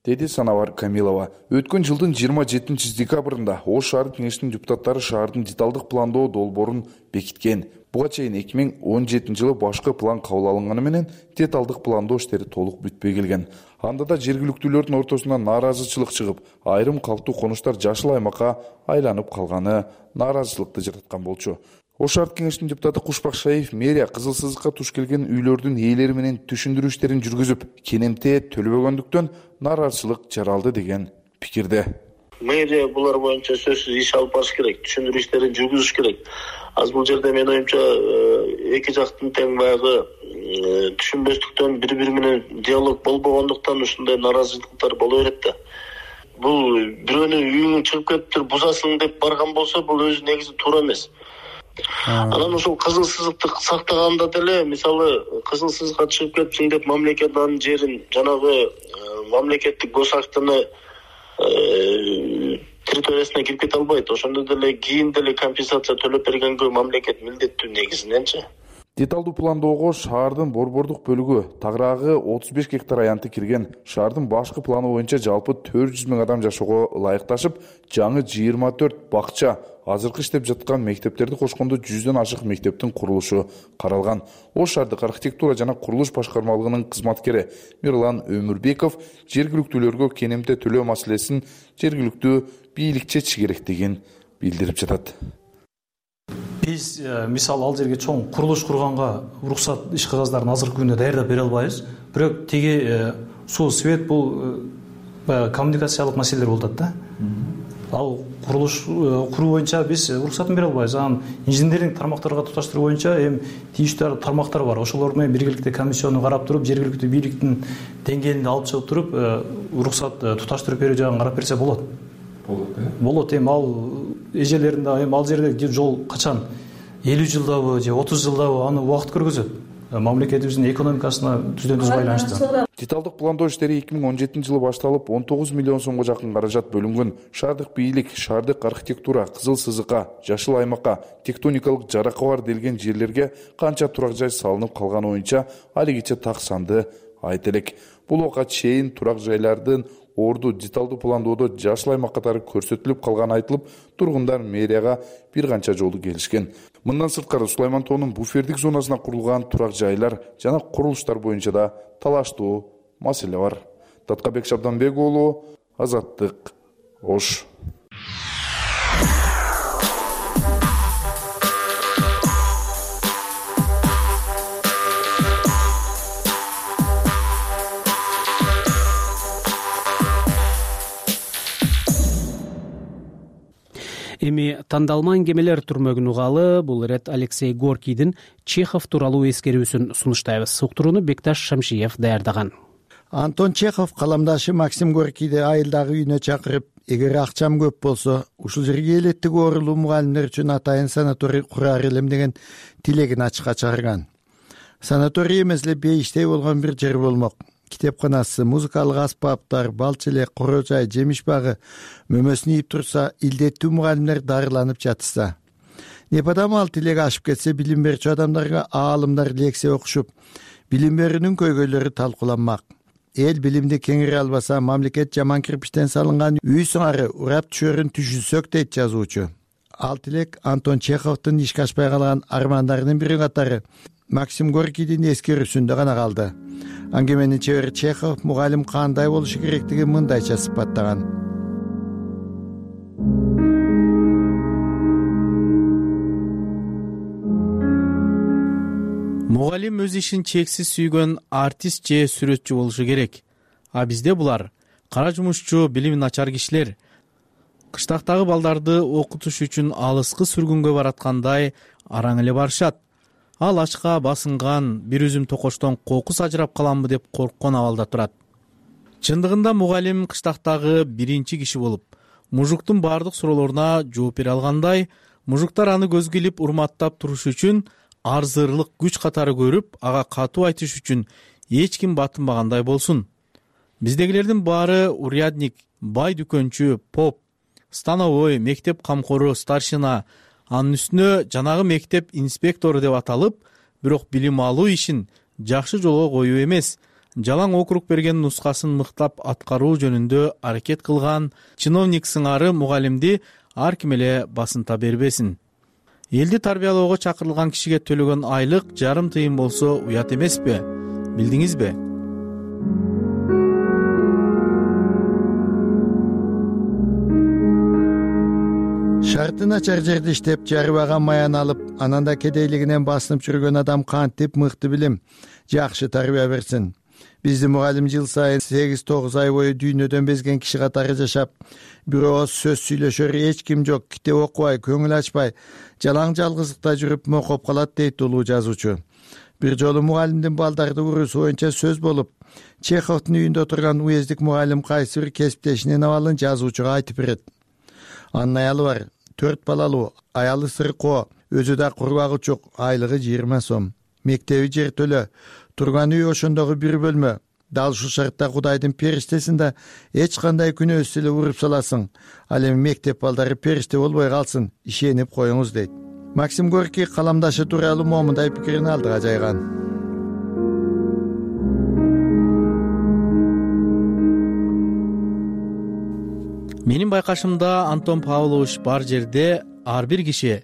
Деди Санабар Камилова. Өткөн жылдын жыйырма жетинчи декабрында Ош шаар кеңешинин депутаттары шаардын деталдык пландоо долбоорун бекиткен. Буга чейин эки миң он жетинчи жылы башкы план кабыл алынганы менен деталдык пландоо иштери толук бүтпөй келген. Анда да жергиликтүүлөрдүн ортосунда нааразычылык чыгып, айрым калктуу конуштар жашыл аймакка айланып калганы нааразычылыкты жараткан болчу. Ош шаар кеңешинин депутаты Кушпак Шаев мэрия кызыл сызыкка туш келген үйлөрдүн ээлери менен түшүндүрүү иштерин жүргүзүп, кенемте төлөбөгөндүктөн нааразычылык жаралды деген пикирде. Мэрия булар боюнча сөзсүз иш алып барыш керек, түшүндүрүү иштерин жүргүзүш керек. Аз бул жерде мен оюмча эки жактын тең баягы түшүнбөстүктөн бири-бири менен диалог болбогондуктан ушундай нааразычылыктар боло берет да. Бул бирөөнүн үйүңөн чыгып кетиптир, бузасың деп барган болсо, бул өзү негизи туура эмес. Анан ошол кызыл сызыкты сактаганда деле, мисалы, кызыл сызыкка чыгып кетипсиң деп мамлекеттин жерин, жанагы мамлекеттик гос актыны территориясына кирип кете албайт. Ошондо деле кийин деле компенсация төлөп бергенге мамлекет милдеттүү негизиненчи. Деталдуу пландоого шаардын борбордук бөлүгү тагыраагы отуз беш гектар аянты кирген. Шаардын башкы планы боюнча жалпы төрт жүз миң адам жашоого ылайыкташып, жаңы жыйырма төрт бакча, азыркы иштеп жаткан мектептерди кошкондо жүздөн ашык мектептин курулушу каралган. Ош шаардык архитектура жана курулуш башкармалыгынын кызматкери Мирлан Өмүрбеков жергиликтүүлөргө кенемте төлөө маселесин жергиликтүү бийлик чечиши керектигин билдирип жатат. Биз мисалы ал жерге чоң курулуш курганга уруксат иш кагаздарын азыркы күндө даярдап бере албайбыз. Бирок теги суу, свет бул коммуникациялык маселелер болуп атат да. Ал курулуш куруу боюнча биз уруксатын бере албайбыз. Анан инженердик тармактарга туташтыруу боюнча эми тийиштүү тармактар бар. Ошолор менен биргеликте комиссияны карап туруп, жергиликтүү бийликтин деңгээлинде алып чыгып туруп, уруксат туташтырып берүү жагын карап берсе болот. Болот, э? Болот. Эми ал эжелеринде эми ал жерде жол качан элүү жылдабы же отуз жылдабы аны убакыт көргөзөт. Мамлекетибиздин экономикасына түздөн түз байланыштуу. Деталдык пландоо иштери эки миң он жетинчи жылы башталып, он тогуз миллион сомго жакын каражат бөлүнгөн. Шаардык бийлик, шаардык архитектура, кызыл сызыкка, жашыл аймакка, тектоникалык жаракы бар делген жерлерге канча турак жай салынып калганы боюнча алигиче так санды айта элек. Бул убакка чейин турак жайлардын орду деталдуу пландоодо жашыл аймак катары көрсөтүлүп калганы айтылып, тургундар мэрияга бир канча жолу келишкен. Мындан сырткары Сулайман тоонун буфердик зонасына курулган турак жайлар жана курулуштар боюнча да талаштуу маселе бар. Таткабек Шабданбек уулу, Азаттык, Ош. Эми тандалма кемелер түрмөгүн угалы, бул ирет Алексей Горкийдин Чехов тууралуу эскерүүсүн сунуштайбыз. Суктурууну Бекташ Шамшиев даярдаган. Антон Чехов каламдашы Максим Горкийди айылдагы үйүнө чакырып, эгер акчам көп болсо, ушул жерге элеттиги оорулуу мугалимдер үчүн атайын санаторий курар элем деген тилегин ачыкка чыгарган. Санаторий эмес эле бейиштей болгон бир жер болмок. китепканасы, музыкалык аспаптар, балчы элек, коро жай, жемиш багы мөмөсүн ийип турса, илдеттүү мугалимдер дарыланып жатышса, непадам ал тилек ашып кетсе, билим берүүчү адамдарга аалымдар лекция окушуп, билим берүүнүн көйгөйлөрү талкууланмак. Эл билимди кеңире албаса, мамлекет жаман кирпичтен салынган үй сыңары урап түшөрүн түшүнсөк дейт жазуучу. Ал тилек Антон Чеховдун ишке ашпай калган армандарынын бири катары Максим Горькийдин эскерүүсүндө гана калды. Аңгеменин чебери Чехов мугалим кандай болушу керектигин мындайча сыпаттаган. Мугалим өз ишин чексиз сүйгөн артист же сүрөтчү болушу керек. А бизде булар кара жумушчу, билими начар кишилер. Кыштактагы балдарды окутуш үчүн алыскы сүргүнгө бараткандай араң эле барышат. Ал ачка басынган бир үзүм токоштон кокус ажырап каламбы деп корккон абалда турат. Чындыгында мугалим кыштактагы биринчи киши болуп, мужуктун бардык суроолоруна жооп бере алгандай, мужуктар аны көзгө илип урматтап туруш үчүн арзырлык күч катары көрүп, ага катуу айтыш үчүн эч ким батынбагандай болсун. Биздегилердин баары урядник, бай дүкөнчү, поп, становой, мектеп камкору, старшина, анын үстүнө жанагы мектеп инспектору деп аталып, бирок билим алуу ишин жакшы жолго коюу эмес, жалаң округ берген нускасын мыктап аткаруу жөнүндө аракет кылган чиновник сыңары мугалимди ар ким эле басынта бербесин. Элди тарбиялоого чакырылган кишиге төлөгөн айлык жарым тыйын болсо уят эмеспи? Билдиңизби? Шарты начар жерде иштеп, жарыбаган маян алып, анан да кедейлигинен басынып жүргөн адам кантип мыкты билим, жакшы тарбия берсин. Биздин мугалим жыл сайын сегиз тогуз ай бою дүйнөдөн безген киши катары жашап, бир ооз сөз сүйлөшөр эч ким жок, китеп окубай, көңүл ачпай, жалаң жалгыздыкта жүрүп мокоп калат дейт улуу жазуучу. Бир жолу мугалимдин балдарды уруусу боюнча сөз болуп, Чеховдун үйүндө отурган уездик мугалим кайсы бир кесиптешинин абалын жазуучуга айтып берет. Анын аялы бар, төрт балалуу, аялы сыркоо, өзү да курбагы чок, айлыгы жыйырма сом. Мектеби жертөлө, турган үй ошондогу бир бөлмө. Дал ушул шартта Кудайдын периштесин да эч кандай күнөөсүз эле уруп саласың. Ал эми мектеп балдары периште болбой калсын, ишенип коюңуз дейт. Максим Горький каламдашы тууралуу момундай пикирин алдыга жайган. Менин байкашымда Антон Павлович бар жерде ар бир киши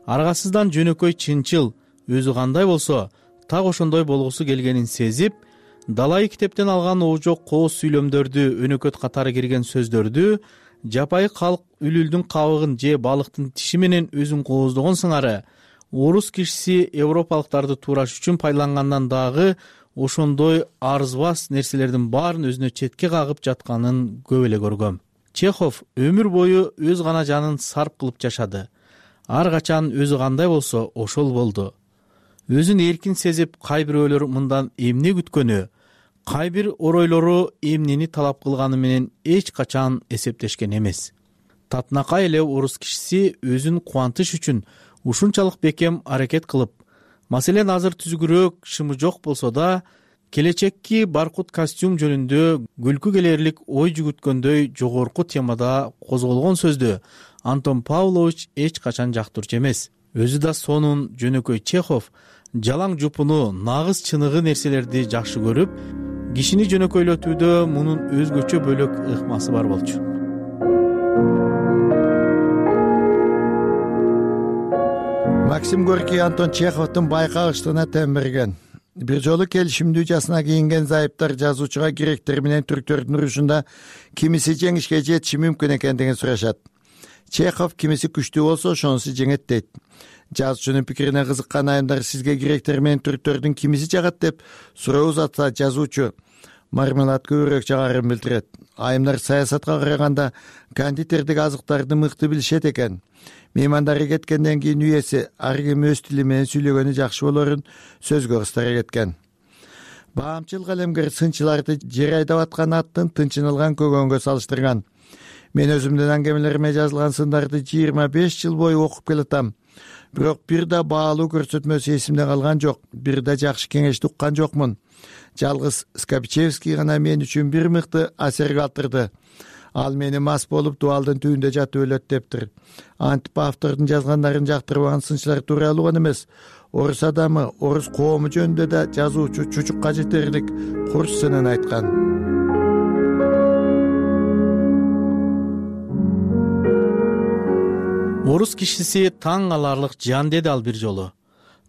аргасыздан жөнөкөй чынчыл, өзү кандай болсо так ошондой болгусу келгенин сезип, далайы китептен алган оожок кооз сүйлөмдөрдү, өнөкөт катары кирген сөздөрдү, жапайы калк үлүлдүн кабыгын же балыктын тиши менен өзүн кооздогон сыңары орус кишиси европалыктарды туураш үчүн пайдалангандан дагы ошондой арзбас нерселердин баарын өзүнө четке кагып жатканын көп эле көргөм. Чехов өмүр бою өз гана жанын сарп кылып жашады. Ар качан өзү кандай болсо ошол болду. Өзүн эркин сезип, кай бирөөлөр мындан эмне күткөнү, кай бир оройлору эмнени талап кылганы менен эч качан эсептешкен эмес. Татынакай эле орус кишиси өзүн кубантыш үчүн ушунчалык бекем аракет кылып, маселен азыр түзүгүрөөк шымы жок болсо да, келечекки баркут костюм жөнүндө күлкү келерлик ой жүгүткөндөй жогорку темада козголгон сөздү Антон Павлович эч качан жактырчу эмес. Өзү да сонун жөнөкөй Чехов жалаң жупуну, нагыз чыныгы нерселерди жакшы көрүп, кишини жөнөкөйлөтүүдө мунун өзгөчө бөлөк ыкмасы бар болчу. Максим Горький Антон Чеховдун байкагычтыгына тем берген. Бир жолу келишимдүү жасына кийинген зайыптар жазуучуга гректер менен түрктөрдүн урушунда кимиси жеңишке жетиши мүмкүн экендигин сурашат. Чехов кимиси күчтүү болсо ошонусу жеңет дейт. Жазуучунун пикирине кызыккан айымдар сизге гректер менен түрктөрдүн кимиси жагат деп суроо узатса, жазуучу мармелад көбүрөөк жагарын билдирет. Айымдар саясатка караганда кондитердик азыктарды мыкты билишет экен. Меймандары кеткенден кийин үйеси ар ким өз тили менен сүйлөгөнү жакшы болорун сөзгө кыстара кеткен. Баамчыл калемгер сынчыларды жер айдап аткан аттын тынчын алган көгөнгө салыштырган. Мен өзүмдүн аңгемелериме жазылган сындарды жыйырма беш жыл бою окуп келатам. бирок бир да баалуу көрсөтмөсү эсимде калган жок, бир да жакшы кеңешти уккан жокмун. Жалгыз Скопчевский гана мен үчүн бир мыкты асер калтырды. Ал мени мас болуп дубалдын түбүндө жатып өлөт дептир. Антип автордун жазгандарын жактырбаган сынчылар тууралуу гана эмес, орус адамы, орус коому жөнүндө да жазуучу чучукка жетерлик курч сынын айткан. Орус кишиси таң каларлык жан, деди ал бир жолу.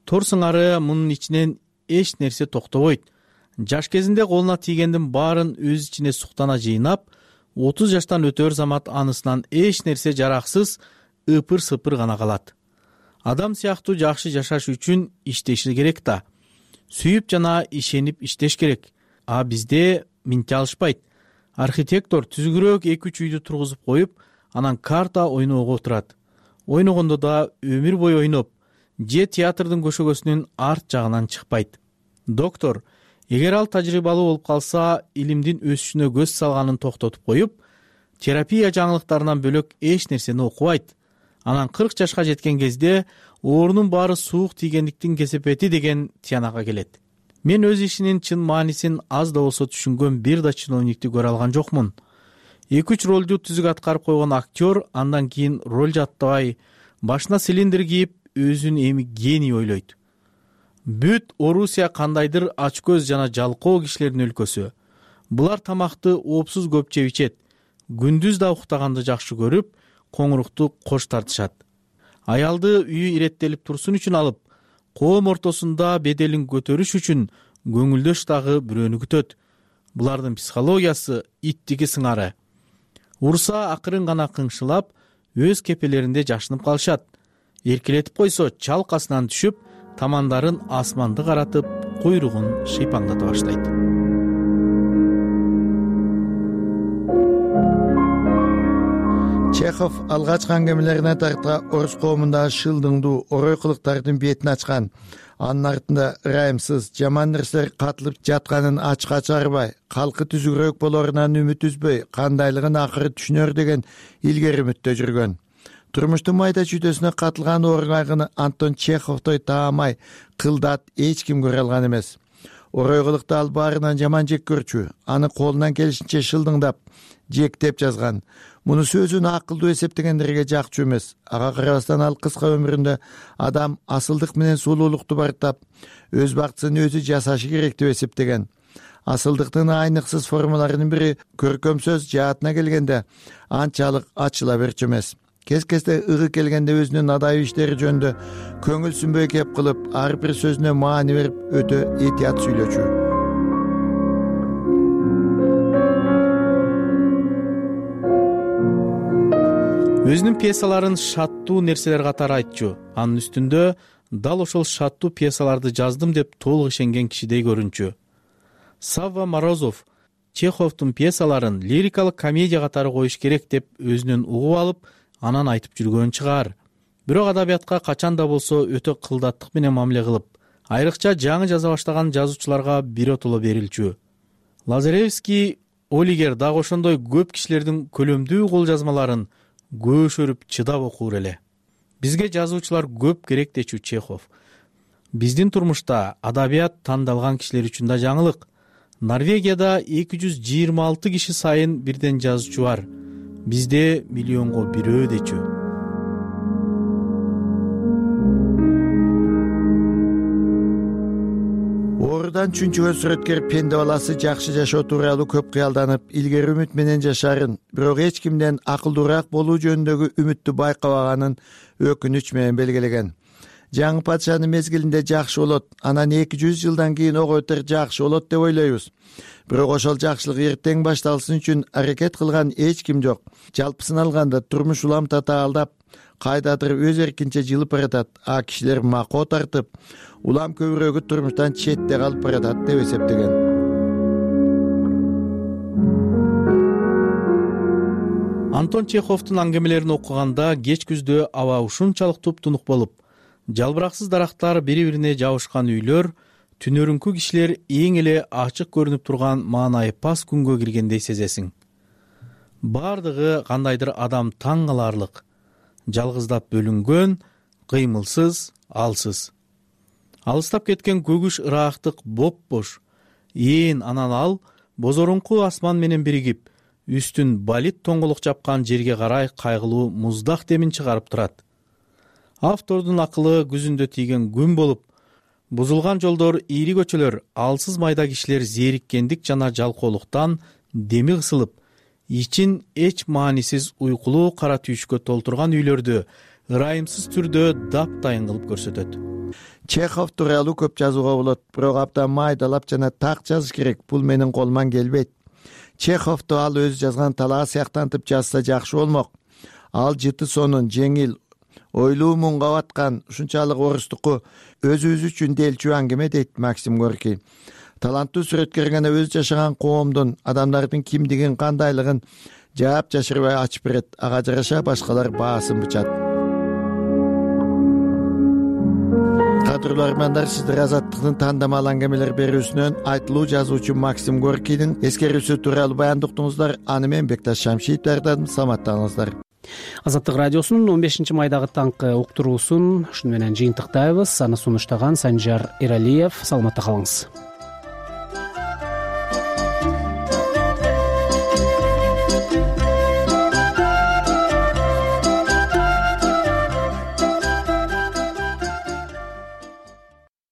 Тор сыңары мунун ичинен эч нерсе токтобойт. Жаш кезинде колуна тийгендин баарын өз ичине суктана жыйнап, отуз жаштан өтөр замат анысынан эч нерсе жараксыз ыпыр-сыпыр гана калат. Адам сыяктуу жакшы жашаш үчүн иштеши керек да. Сүйүп жана ишенип иштеш керек. А бизде минте алышпайт. Архитектор түзүгүрөөк эки үч үйдү тургузуп коюп, анан карта ойноого отурат. Ойногондо да өмүр бою ойноп, же театрдын көшөгөсүнүн арт жагынан чыкпайт. Доктор, эгер ал тажрыйбалуу болуп калса, илимдин өсүшүнө көз салганын токтотуп коюп, терапия жаңылыктарынан бөлөк эч нерсени окубайт. Анан кырк жашка жеткен кезде оорунун баары суук тийгендиктин кесепети деген тиянакка келет. Мен өз ишинин чын маанисин аз да болсо түшүнгөн бир да чиновникти көрө алган жокмун. эки үч ролду түзүк аткарып койгон актер андан кийин роль жаттабай, башына цилиндр кийип, өзүн эми гений ойлойт. Бүт Орусия кандайдыр ачкөз жана жалкоо кишилердин өлкөсү. Булар тамакты оопсуз көп жеп ичет. Күндүз да уктаганды жакшы көрүп, коңурукту кош тартышат. Аялды үйү иреттелип турсун үчүн алып, коом ортосунда беделин көтөрүш үчүн көңүлдөш дагы бирөөнү күтөт. Булардын психологиясы иттики сыңары. Урса акырын гана кыңшылап, өз кепелеринде жашынып калышат. Эркелетип койсо чалкасынан түшүп, тамандарын асманды каратып, куйругун шыйпаңдата баштайт. Чехов алгачкы аңгемелерине тарта орус коомундагы шылдыңдуу орой кылыктардын бетин ачкан. Анын артында ырайымсыз, жаман нерселер катылып жатканын ачка чыгарбай, калкы түзүгүрөөк болорунан үмүт үзбөй, кандайлыгын акыры түшүнөр деген илгери үмүттө жүргөн. Турмуштун майда чүйдөсүнө катылган оор кайгыны Антон Чеховдой таамай, кылдат эч ким көрө алган эмес. Орой кылыкты ал баарынан жаман жек көрчү, аны колунан келишинче шылдыңдап, жектеп жазган. Муну сөзүн акылдуу эсептегендерге жакчу эмес. Ага карабастан ал кыска өмүрүндө адам асылдык менен сулуулукту бартап, өз бактысын өзү жасашы керек деп эсептеген. Асылдыктын айныксыз формаларынын бири көркөм сөз жаатына келгенде анчалык ачыла берчү эмес. Кез-кезде ыгы келгенде өзүнүн адайы иштери жөнүндө көңүл сүнбөй кеп кылып, ар бир сөзүнө маани берип, өтө этият сүйлөчү. Өзүнүн пьесаларын шаттуу нерселер катары айтчу. Анын үстүндө дал ошол шаттуу пьесаларды жаздым деп толук ишенген кишидей көрүнчү. Савва Морозов Чеховдун пьесаларын лирикалык комедия катары коюш керек деп өзүнөн угуп алып, анан айтып жүргөн чыгар. Бирок адабиятка качан да болсо өтө кылдаттык менен мамиле кылып, айрыкча жаңы жаза баштаган жазуучуларга биротоло берилчү. Лазаревский Олигер дагы ошондой көп кишилердин көлөмдүү кол жазмаларын көшөрүп чыдап окур эле. Бизге жазуучулар көп керек дечү Чехов. Биздин турмушта адабият тандалган кишилер үчүн да жаңылык. Норвегияда эки жүз жыйырма алты киши сайын бирден жазуучу бар. Бизде миллионго бирөө дечү. Оорудан чүнчүгөн сүрөткер пенде баласы жакшы жашоо тууралуу көп кыялданып, илгери үмүт менен жашарын, бирок эч кимден акылдуураак болуу жөнүндөгү үмүттү байкабаганын өкүнүч менен белгилеген. Жаңы падышанын мезгилинде жакшы болот, анан эки жүз жылдан кийин ого өтөр жакшы болот деп ойлойбуз. Бирок ошол жакшылык эртең башталсын үчүн аракет кылган эч ким жок. Жалпысын алганда турмуш улам татаалдап, кайдадыр өз эркинче жылып баратат, а кишилер макоо тартып, улам көбүрөөгү турмуштан четте калып баратат деп эсептеген. Антон Чеховдун аңгемелерин окуганда кеч күздө аба ушунчалык туп-тунук болуп, жалбыраксыз дарактар бири-бирине жабышкан үйлөр, түнөрүңкү кишилер эң эле ачык көрүнүп турган маанайы пас күнгө киргендей сезесиң. Бардыгы кандайдыр адам таң каларлык, жалгыздап бөлүнгөн, кыймылсыз, алсыз. Алыстап кеткен көгүш ыраактык боп-бош. Ээн анан ал бозорунку асман менен биригип, үстүн балит тоңголук жапкан жерге карай кайгылуу муздак демин чыгарып турат. Автордун акылы күзүндө тийген күн болуп, бузулган жолдор, ийри көчөлөр, алсыз майда кишилер зээриккендик жана жалкоолуктан деми кысылып, ичин эч маанисиз уйкулуу кара түйүшкө толтурган үйлөрдү ырайымсыз түрдө таптайын кылып көрсөтөт. Чехов тууралуу көп жазууга болот, бирок абдан майдалап жана так жазыш керек. Бул менин колуман келбейт. Чеховду ал өзү жазган талаа сыяктантып жазса жакшы болмок. Ал жыты сонун, жеңил, ойлуу мунга баткан, ушунчалык орустуку өзүбүз үчүн делчү аңгеме, дейт Максим Горький. Таланттуу сүрөткөр гана өзү жашаган коомдун, адамдардын кимдигин, кандайлыгын жаап жашырбай ачып берет. Ага жараша башкалар баасын бычат. Кадырлуу армандар, сиздер Азаттыктын тандамал аңгемелер берүүсүнөн айтылуу жазуучу Максим Горькийдин эскерүүсү тууралуу баяндоо уктуңуздар. Аны мен Бекташ Шамшиев даярдадым. Саламаттаңыздар. Азаттык радиосунун он бешинчи майдагы таңкы уктуруусун ушуну менен жыйынтыктайбыз. Аны сунуштаган Санжар Эралиев. Саламатта калыңыз.